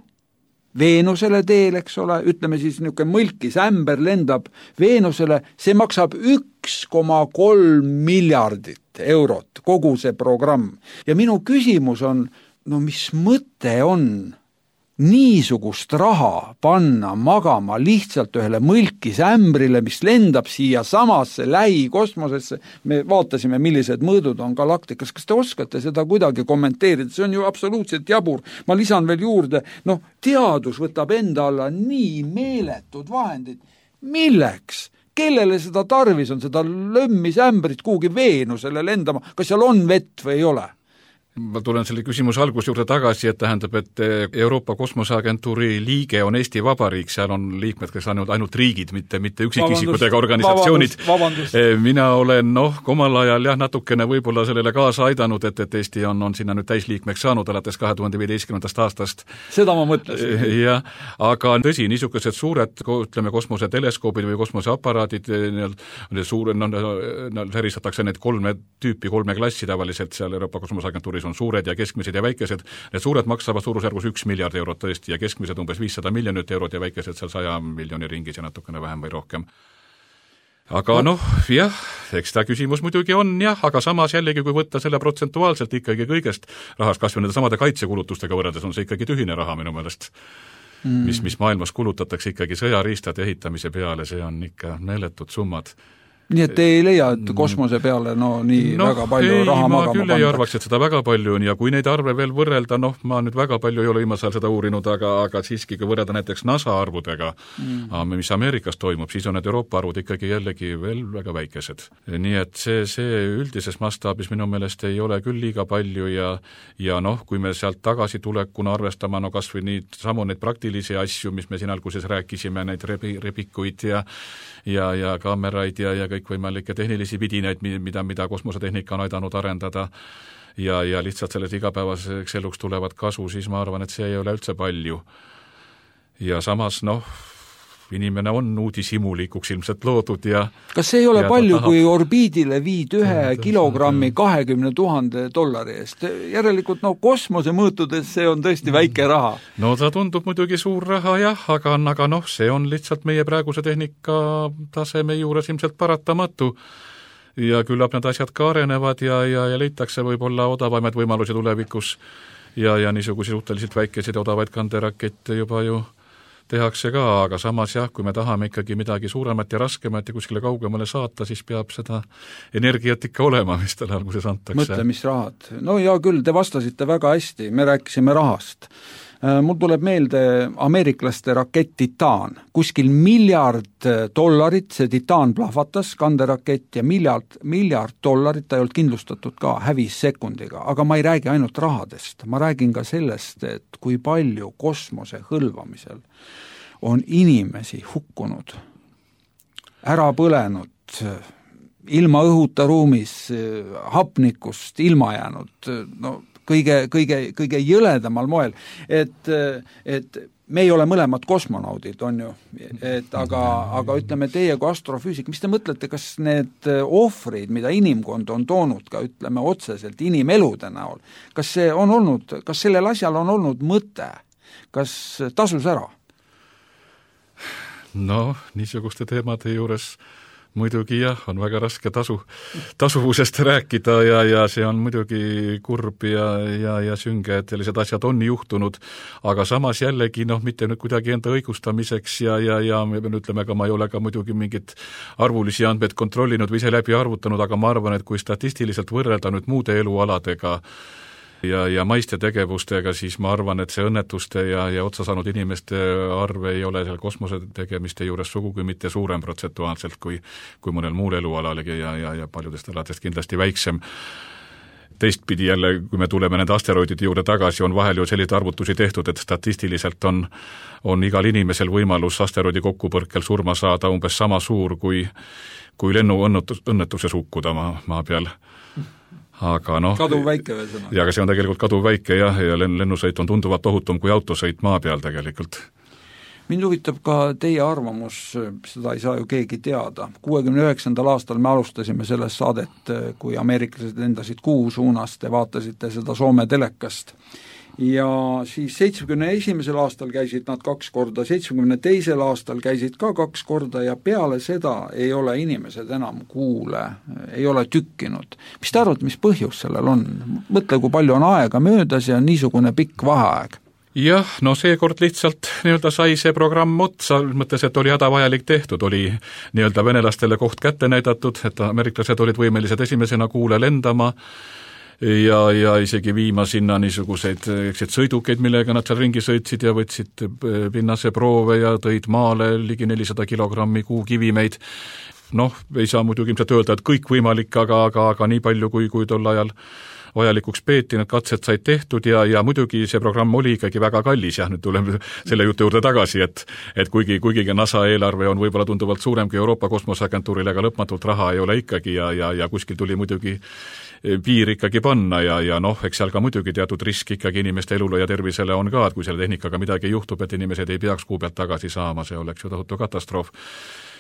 Veenusele teel, eks ole, ütleme siis niisugune mõlkis ämber lendab Veenusele, see maksab üks koma kolm miljardit eurot, kogu see programm. Ja minu küsimus on, no mis mõte on niisugust raha panna magama lihtsalt ühele mõlkis ämbrile, mis lendab siia samasse lähikosmosesse. Me vaatasime, millised mõõdud on galaktikas. Kas te oskate seda kuidagi kommenteerida? See on ju absoluutselt jabur. Ma lisan veel juurde, noh, teadus võtab enda alla nii meeletud vahendid. Milleks? Kellele seda tarvis on, seda lömmis ämbrit kuhugi Veenusele lendama? Kas seal on vett või ei ole? Ma tulen selle küsimuse algus juurde tagasi, et tähendab, et Euroopa Kosmoseagentuuri liige on Eesti Vabariik, seal on liikmed, kes on ainult riigid, mitte, mitte üksikisikud ega organisatsioonid. Vabandust, vabandust. Mina olen, noh, omal ajal jah, natukene võib-olla sellele kaasa aidanud, et, et Eesti on, on sinna nüüd täisliikmeks saanud alates kahe tuhande viieteistkümnendast aastast. Seda ma mõtlesin. Jah, aga tõsi, niisugused suured, ütleme, kosmoseteleskoobid või kosmoseaparaadid, suure, no, no, säristatakse need kolme tüüpi, kolme klassi tavaliselt seal Euroopa Kosmoseagentuuris on suured ja keskmised ja väikesed. Need suured maksavad suurusjärgus üks miljard eurot tõesti ja keskmised umbes viissada miljonit eurot ja väikesed seal saja miljoni ringis ja natukene vähem või rohkem. Aga noh, jah, eks ta küsimus muidugi on jah, aga samas jällegi, kui võtta selle protsentuaalselt ikkagi kõigest rahast, kas või nende samade kaitsekulutustega võrreldes on see ikkagi tühine raha minu meelest, mm. mis, mis maailmas kulutatakse ikkagi sõjariistade ehitamise peale, see on ikka meeletud summad. Nii et te ei leia, et kosmose peale no nii no, väga palju ei, raha magama pandaks? Ma küll ei arvaks, et seda väga palju on ja kui neid arve veel võrrelda, noh, ma nüüd väga palju ei ole viimasel seda uurinud, aga, aga siiski kui võrrelda näiteks NASA arvudega, mm. mis Ameerikas toimub, siis on need Euroopa arvud ikkagi jällegi veel väga väikesed. Nii et see, see üldises mastaabis minu meelest ei ole küll liiga palju ja, ja noh, kui me sealt tagasi tulekuna arvestama, no kas või nii samu neid praktilisi asju, mis me siin alguses rääkisime, neid rebi, rebikuid ja, ja, ja kaameraid ja, ja kõikvõimalikke tehnilisi vidinaid, mida, mida kosmosetehnika on aidanud arendada ja, ja lihtsalt sellest igapäevaseks eluks tulevad kasu, siis ma arvan, et see ei ole üldse palju. Ja samas, noh, inimene on uudishimulikuks ilmselt loodud ja kas see ei ole palju, tahab... kui orbiidile viid ühe ja, kilogrammi kahekümne tuhande dollari eest? Järelikult, no kosmose mõõtudes see on tõesti väike raha. No ta tundub muidugi suur raha jah, aga, aga noh, see on lihtsalt meie praeguse tehnika taseme juures ilmselt paratamatu. Ja küllap need asjad ka arenevad ja, ja, ja leitakse võib-olla odavamaid võimalusi tulevikus ja, ja niisuguseid suhteliselt väikeseid odavaid kanderakette juba ju tehakse ka, aga samas jah, kui me tahame ikkagi midagi suuremat ja raskemat ja kuskile kaugemale saata, siis peab seda energiat ikka olema, mis talle alguses antakse. Mõtle, mis rahad. No ja küll, te vastasite väga hästi, me rääkisime rahast. Mul tuleb meelde ameeriklaste rakett Titan. Kuskil miljard dollarit see Titan plahvatas, kanderakett ja miljard, miljard dollarit, ta ei olnud kindlustatud ka, hävis sekundiga. Aga ma ei räägi ainult rahadest, ma räägin ka sellest, et kui palju kosmose hõlvamisel on inimesi hukkunud, ära põlenud, ilma õhuta ruumis, hapnikust ilma jäänud, no kõige, kõige, kõige jõledamal moel, et, et me ei ole mõlemad kosmonaudid, on ju, et aga, aga ütleme teie kui astrofüüsik, mis te mõtlete, kas need ohvrid, mida inimkond on toonud ka, ütleme otseselt inimelude näol, kas see on olnud, kas sellel asjal on olnud mõte, kas tasus ära? No, niisuguste teemade juures muidugi jah, on väga raske tasu, tasuvusest rääkida ja, ja see on muidugi kurb ja, ja, ja sünge, et sellised asjad on juhtunud, aga samas jällegi noh, mitte nüüd kuidagi enda õigustamiseks ja, ja, ja ütleme ka, ma ei ole ka muidugi mingit arvulisi andmeid kontrollinud või ise läbi arvutanud, aga ma arvan, et kui statistiliselt võrrelda nüüd muude elualadega ja, ja maiste tegevustega, siis ma arvan, et see õnnetuste ja, ja otsa saanud inimeste arv ei ole seal kosmose tegemiste juures sugugi mitte suurem protsentuaalselt kui, kui mõnel muul elualalegi ja, ja, ja paljudest aladest kindlasti väiksem. teistpidi jälle, kui me tuleme nende asteroidide juurde tagasi, on vahel ju selliseid arvutusi tehtud, et statistiliselt on, on igal inimesel võimalus asteroidi kokkupõrkel surma saada umbes sama suur, kui, kui lennu õnnetus, õnnetuses hukkuda maa, maa peal. Aga noh, kaduv väike veel sõna. Ja aga see on tegelikult kaduv väike jah, ja lennusõit on tunduvalt ohutum kui autosõit maa peal tegelikult. Mind huvitab ka teie arvamus, seda ei saa ju keegi teada. kuuekümne üheksandal aastal me alustasime sellest saadet, kui ameeriklased lendasid kuu suunas, te vaatasite seda Soome telekast. Ja siis seitsmekümne esimesel aastal käisid nad kaks korda, seitsmekümne teisel aastal käisid ka kaks korda ja peale seda ei ole inimesed enam kuule, ei ole tükkinud. Mis te arvate, mis põhjus sellel on? Mõtle, kui palju on aega möödas ja niisugune pikk vaheaeg. Jah, no seekord lihtsalt nii-öelda sai see programm otsa, mõttes, et oli hädavajalik tehtud, oli nii-öelda venelastele koht kätte näidatud, et ameeriklased olid võimelised esimesena kuule lendama, ja, ja isegi viima sinna niisuguseid eksid sõidukeid, millega nad seal ringi sõitsid ja võtsid pinnase proove ja tõid maale ligi nelisada kilogrammi kuukivimeid. Noh, ei saa muidugi ilmselt öelda, et kõik võimalik, aga, aga, aga nii palju, kui, kui tol ajal vajalikuks peeti, need katsed said tehtud ja, ja muidugi see programm oli ikkagi väga kallis, jah, nüüd tuleme selle jutu juurde tagasi, et, et kuigi, kuigi NASA eelarve on võib-olla tunduvalt suurem kui Euroopa Kosmoseagentuuril, aga lõpmatult raha ei ole ikkagi ja, ja, ja kuskil tuli muidugi piir ikkagi panna ja, ja noh, eks seal ka muidugi teatud risk ikkagi inimeste elule ja tervisele on ka, et kui selle tehnikaga midagi juhtub, et inimesed ei peaks kuu pealt tagasi saama, see oleks ju tohutu katastroof.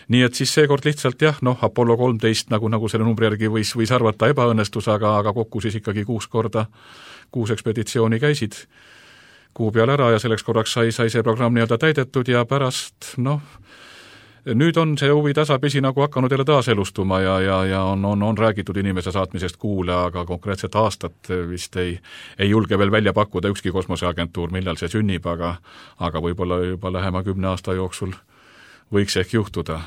Nii et siis seekord lihtsalt jah, noh, Apollo kolmteist nagu, nagu selle numbri järgi võis, võis arvata ebaõnnestus, aga, aga kokku siis ikkagi kuus korda, kuus ekspeditsiooni käisid kuu peal ära ja selleks korraks sai, sai see programm nii-öelda täidetud ja pärast, noh, nüüd on see huvi tasapisi nagu hakanud jälle taaselustuma ja, ja, ja on, on, on räägitud inimese saatmisest kuule, aga konkreetset aastat vist ei, ei julge veel välja pakkuda ükski kosmoseagentuur, millal see sünnib, aga, aga võib-olla juba lähema kümne aasta jooksul võiks ehk juhtuda.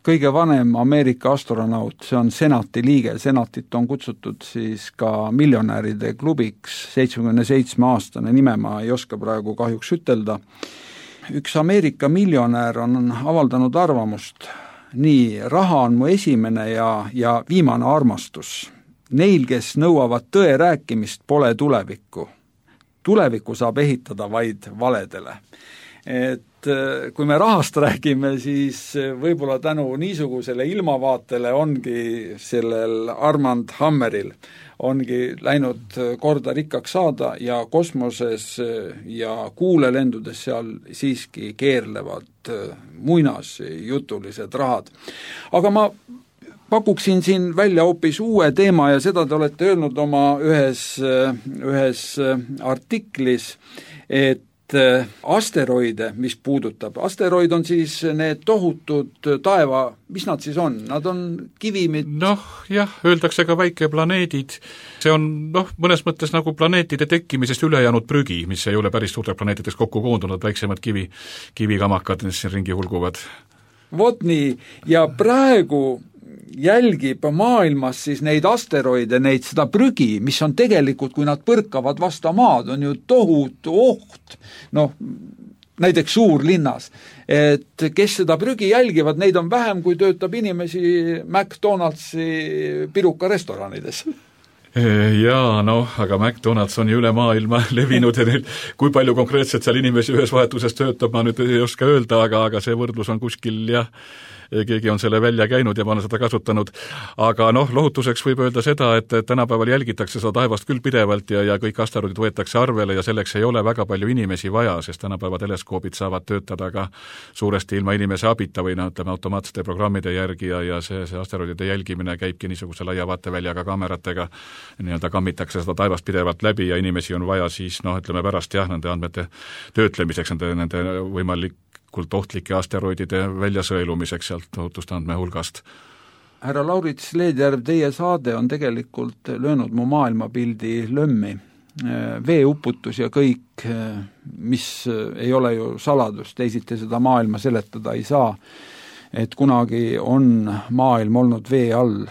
Kõige vanem Ameerika astronaut, see on senati liige, senatit on kutsutud siis ka miljonäride klubiks, seitsmekümne seitsme aastane nime ma ei oska praegu kahjuks ütelda. Üks Ameerika miljonär on avaldanud arvamust, nii, raha on mu esimene ja, ja viimane armastus. Neil, kes nõuavad tõe rääkimist, pole tulevikku. Tulevikku saab ehitada vaid valedele. Et kui me rahast räägime, siis võib-olla tänu niisugusele ilmavaatele ongi sellel Armand Hammeril ongi läinud korda rikkaks saada ja kosmoses ja kuulelendudes seal siiski keerlevad muinasjutulised rahad. Aga ma pakuksin siin välja hoopis uue teema ja seda te olete öelnud oma ühes, ühes artiklis, et asteroide, mis puudutab. Asteroid on siis need tohutud taeva, mis nad siis on? Nad on kivimid? Noh, jah, öeldakse ka väikeplaneedid. See on, noh, mõnes mõttes nagu planeetide tekkimisest ülejäänud prügi, mis ei ole päris suurte planeetideks kokku koondunud, väiksemad kivi, kivikamakad, mis siin ringi hulguvad. Vot nii, ja praegu jälgib maailmas siis neid asteroide, neid seda prügi, mis on tegelikult, kui nad põrkavad vastu maad, on ju tohutu oht, noh, näiteks suurlinnas, et kes seda prügi jälgivad, neid on vähem, kui töötab inimesi McDonaldsi piruka restoranides. Jaa, noh, aga McDonald's on ju üle maailma levinud ja neil, kui palju konkreetselt seal inimesi ühes vahetuses töötab, ma nüüd ei oska öelda, aga, aga see võrdlus on kuskil, jah, keegi on selle välja käinud ja ma olen seda kasutanud. Aga noh, lohutuseks võib öelda seda, et tänapäeval jälgitakse seda taevast küll pidevalt ja, ja kõik asteroidid võetakse arvele ja selleks ei ole väga palju inimesi vaja, sest tänapäeva teleskoobid saavad töötada ka suuresti ilma inimese abita või no, ütleme automaatsete programmide järgi ja, ja see, see asteroidide jälgimine käibki niisuguse laia vaateväljaga kaameratega, nii-öelda kammitakse seda taevast pidevalt läbi ja inimesi on vaja siis, noh, ütleme pärast jah, nende andmete töötlemiseks, nende, nende võimalik kult ohtlike asteroidide väljasõelumiseks sealt ohutuste andme hulgast. Härra Laurits Leedjärv, teie saade on tegelikult löönud mu maailmapildi lömmi. Veeuputus ja kõik, mis ei ole ju saladus, teisiti seda maailma seletada ei saa, et kunagi on maailm olnud vee all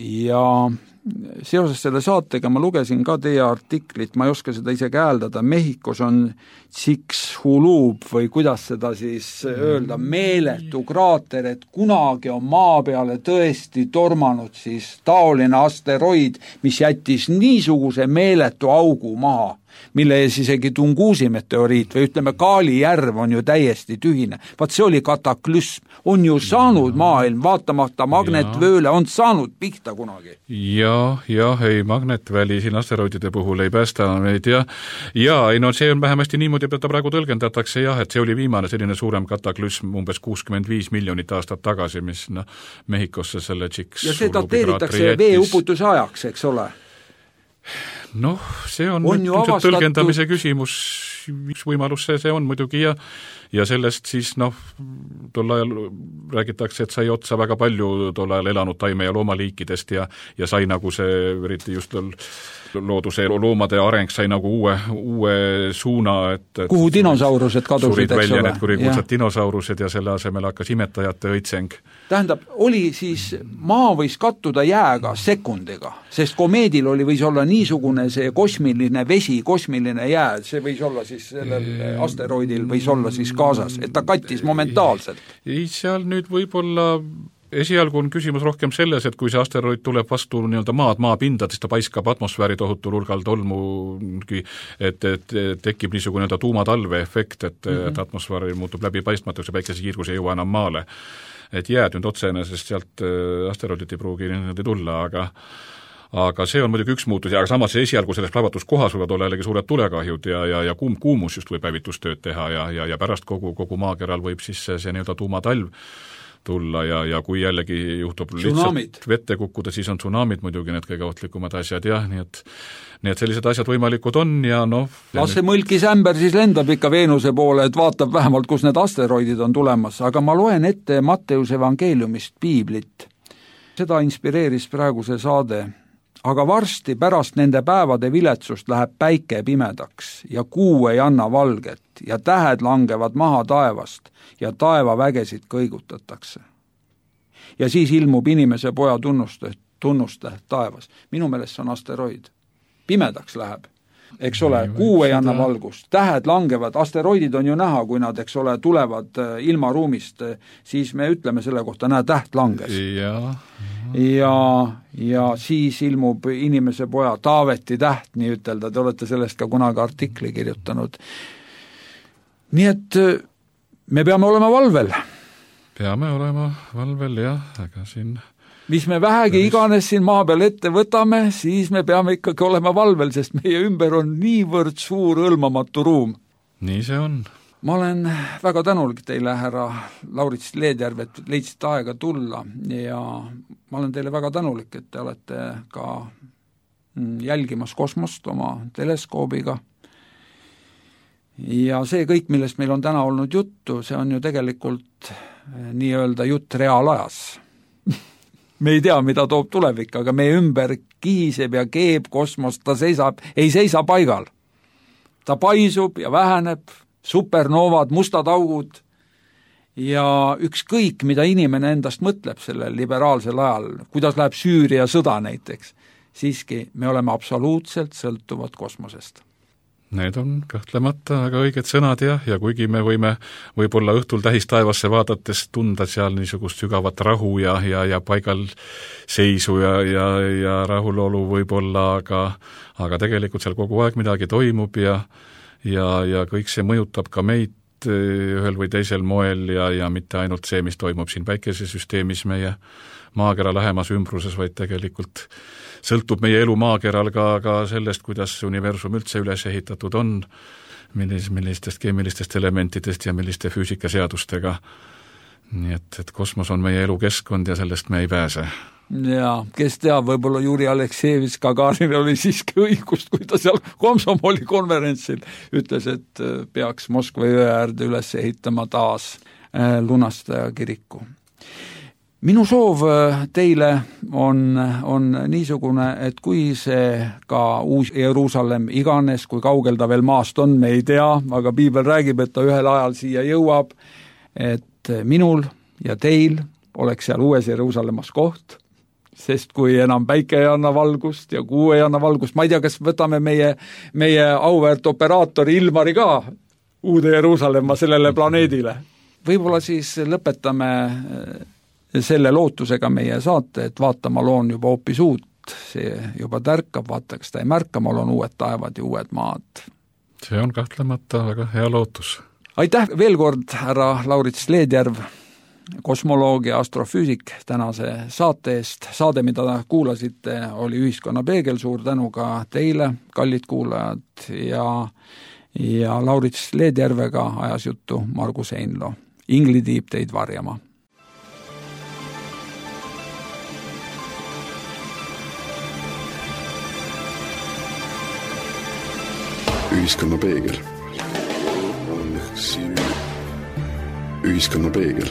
ja seoses selle saatega ma lugesin ka teie artiklit, ma ei oska seda isegi hääldada, Mehhikos on Chicxulub või kuidas seda siis öelda, meeletu kraater, et kunagi on maa peale tõesti tormanud siis taoline asteroid, mis jättis niisuguse meeletu augu maha, mille ees isegi Tungusi meteoriit või ütleme, Kaali järv on ju täiesti tühine. Vaat see oli kataklüsm. On ju saanud maailm, vaatamata magnetvööle, on saanud pihta kunagi. Ja, ja, ei, magnetväli siin asteroidide puhul ei päästa meid ja, ja ei, no see on vähemasti niimoodi, et ta praegu tõlgendatakse jah, et see oli viimane selline suurem kataklüsm umbes kuuskümmend viis miljonit aastat tagasi, mis no, Mehhikosse selle Chicxulubi ja see dateeritakse veeuputuse ajaks, eks ole? Noh, see on, on avastatud... tõlgendamise küsimus, üks võimalus see, see on muidugi ja, ja sellest siis noh, tol ajal räägitakse, et sai otsa väga palju tol ajal elanud taime- ja loomaliikidest ja, ja sai nagu see, eriti just looduse loomade areng sai nagu uue, uue suuna, et, et kuhu dinosaurused kadusid, surid eks välja ole. Need kurikuulsad dinosaurused ja selle asemel hakkas imetajate õitseng. Tähendab, oli siis, maa võis kattuda jääga sekundiga, sest komeedil oli, võis olla niisugune see kosmiline vesi, kosmiline jää, see võis olla siis sellel asteroidil võis olla siis kaasas, et ta kattis momentaalselt. Ei, seal nüüd võib-olla esialgu on küsimus rohkem selles, et kui see asteroid tuleb vastu nii-öelda maad, maapinda, siis ta paiskab atmosfääri tohutul hulgal tolmu, et, et tekib niisugune nii-öelda tuumatalve efekt, et, mm-hmm. et atmosfäär muutub läbipaistmatuks ja päikese kiirgus ei jõua enam maale. Et jääd nüüd otsene, sest sealt asteroidit ei pruugi niimoodi tulla, aga aga see on muidugi üks muutus ja aga samas esialgu selles plahvatuskohas võivad olla jällegi suured tulekahjud ja, ja, ja kuum, kuumus just võib päevitustööd teha ja, ja, ja pärast kogu, kogu maakeral võib siis see, see nii-öelda tuumatalv tulla ja, ja kui jällegi juhtub tsunamid. Lihtsalt vette kukkuda, siis on tsunamid muidugi need kõige ohtlikumad asjad, jah, nii et nii et sellised asjad võimalikud on ja noh... Las see mõlkis ämber siis lendab ikka Veenuse poole, et vaatab vähemalt, kus need asteroidid on tulemas, aga ma loen ette Matteuse evangeeliumist piiblit. Seda inspireeris praegu see saade. Aga varsti pärast nende päevade viletsust läheb päike pimedaks ja kuu ei anna valget ja tähed langevad maha taevast ja taevavägesid kõigutatakse. Ja siis ilmub inimese poja tunnuste, tunnuste taevas. Minu meelest see on asteroid. Pimedaks läheb. Eks ole, kuu ei anna valgust, tähed langevad, asteroidid on ju näha, kui nad, eks ole, tulevad ilmaruumist, siis me ütleme selle kohta, näe, täht langes. Ja, ja, ja siis ilmub inimese poja Taaveti täht, nii ütelda, te olete sellest ka kunagi artikli kirjutanud. Nii et me peame olema valvel. Peame olema valvel, jah, aga siin... mis me vähegi iganes siin maa peal ette võtame, siis me peame ikkagi olema valvel, sest meie ümber on niivõrd suur õlmamatu ruum. Nii see on. Ma olen väga tänulik teile, härra Laurits Leedjärv, et leidsite aega tulla ja ma olen teile väga tänulik, et te olete ka jälgimas kosmost oma teleskoobiga. Ja see kõik, millest meil on täna olnud juttu, see on ju tegelikult nii-öelda jutt reaalajas. Me ei tea, mida toob tulevik, aga meie ümber kihiseb ja keeb kosmos, ta seisab, ei seisa paigal. Ta paisub ja väheneb, supernoovad, mustad augud ja ükskõik, mida inimene endast mõtleb sellel liberaalsel ajal, kuidas läheb Süüria sõda näiteks, siiski me oleme absoluutselt sõltuvad kosmosest. Need on kahtlemata väga õiged sõnad jah, ja kuigi me võime võib-olla õhtul tähistaevasse vaadates tunda seal niisugust sügavat rahu ja, ja, ja paigal seisu ja, ja, ja rahulolu võib-olla, aga, aga tegelikult seal kogu aeg midagi toimub ja, ja, ja kõik see mõjutab ka meid ühel või teisel moel ja, ja mitte ainult see, mis toimub siin päikesesüsteemis meie maakera lähemas ümbruses, vaid tegelikult sõltub meie elu maakeral ka, ka sellest, kuidas universum üldse üles ehitatud on, millis, millistest keemilistest elementidest ja milliste füüsikaseadustega. Nii et, et kosmos on meie elukeskkond ja sellest me ei pääse. Ja, kes teab, võib-olla Juri Aleksejevitš Gagarin oli siiski õigust, kui ta seal Komsomoli konverentsil ütles, et peaks Moskva jõe äärde üles ehitama taas lunastaja kiriku. Minu soov teile on, on niisugune, et kui see ka uus Jeruusalemm iganes, kui kaugel ta veel maast on, me ei tea, aga piibel räägib, et ta ühel ajal siia jõuab, et minul ja teil oleks seal uues Jeruusalemmas koht sest kui enam päike ei anna valgust ja kuu ei anna valgust, ma ei tea, kas võtame meie, meie auväärt operaatori Ilmari ka Uude Jeruusalemma sellele planeedile. Võib-olla siis lõpetame selle lootusega meie saate, et vaatama loon juba hoopis uut, see juba tärkab, vaata, kas ta ei märka, ma loon uued taevad ja uued maad. See on kahtlemata väga hea lootus. Aitäh veel kord, härra Laurits Leedjärv, kosmoloog ja astrofüüsik tänase saate eest. Saade, mida kuulasite, oli Ühiskonna peegel, suur tänu ka teile, kallid kuulajad, ja, ja Laurits Leedjärvega ajas juttu Margus Einlo. Ingli tiib teid varjama. Ühiskonna peegel. Ühiskonna peegel.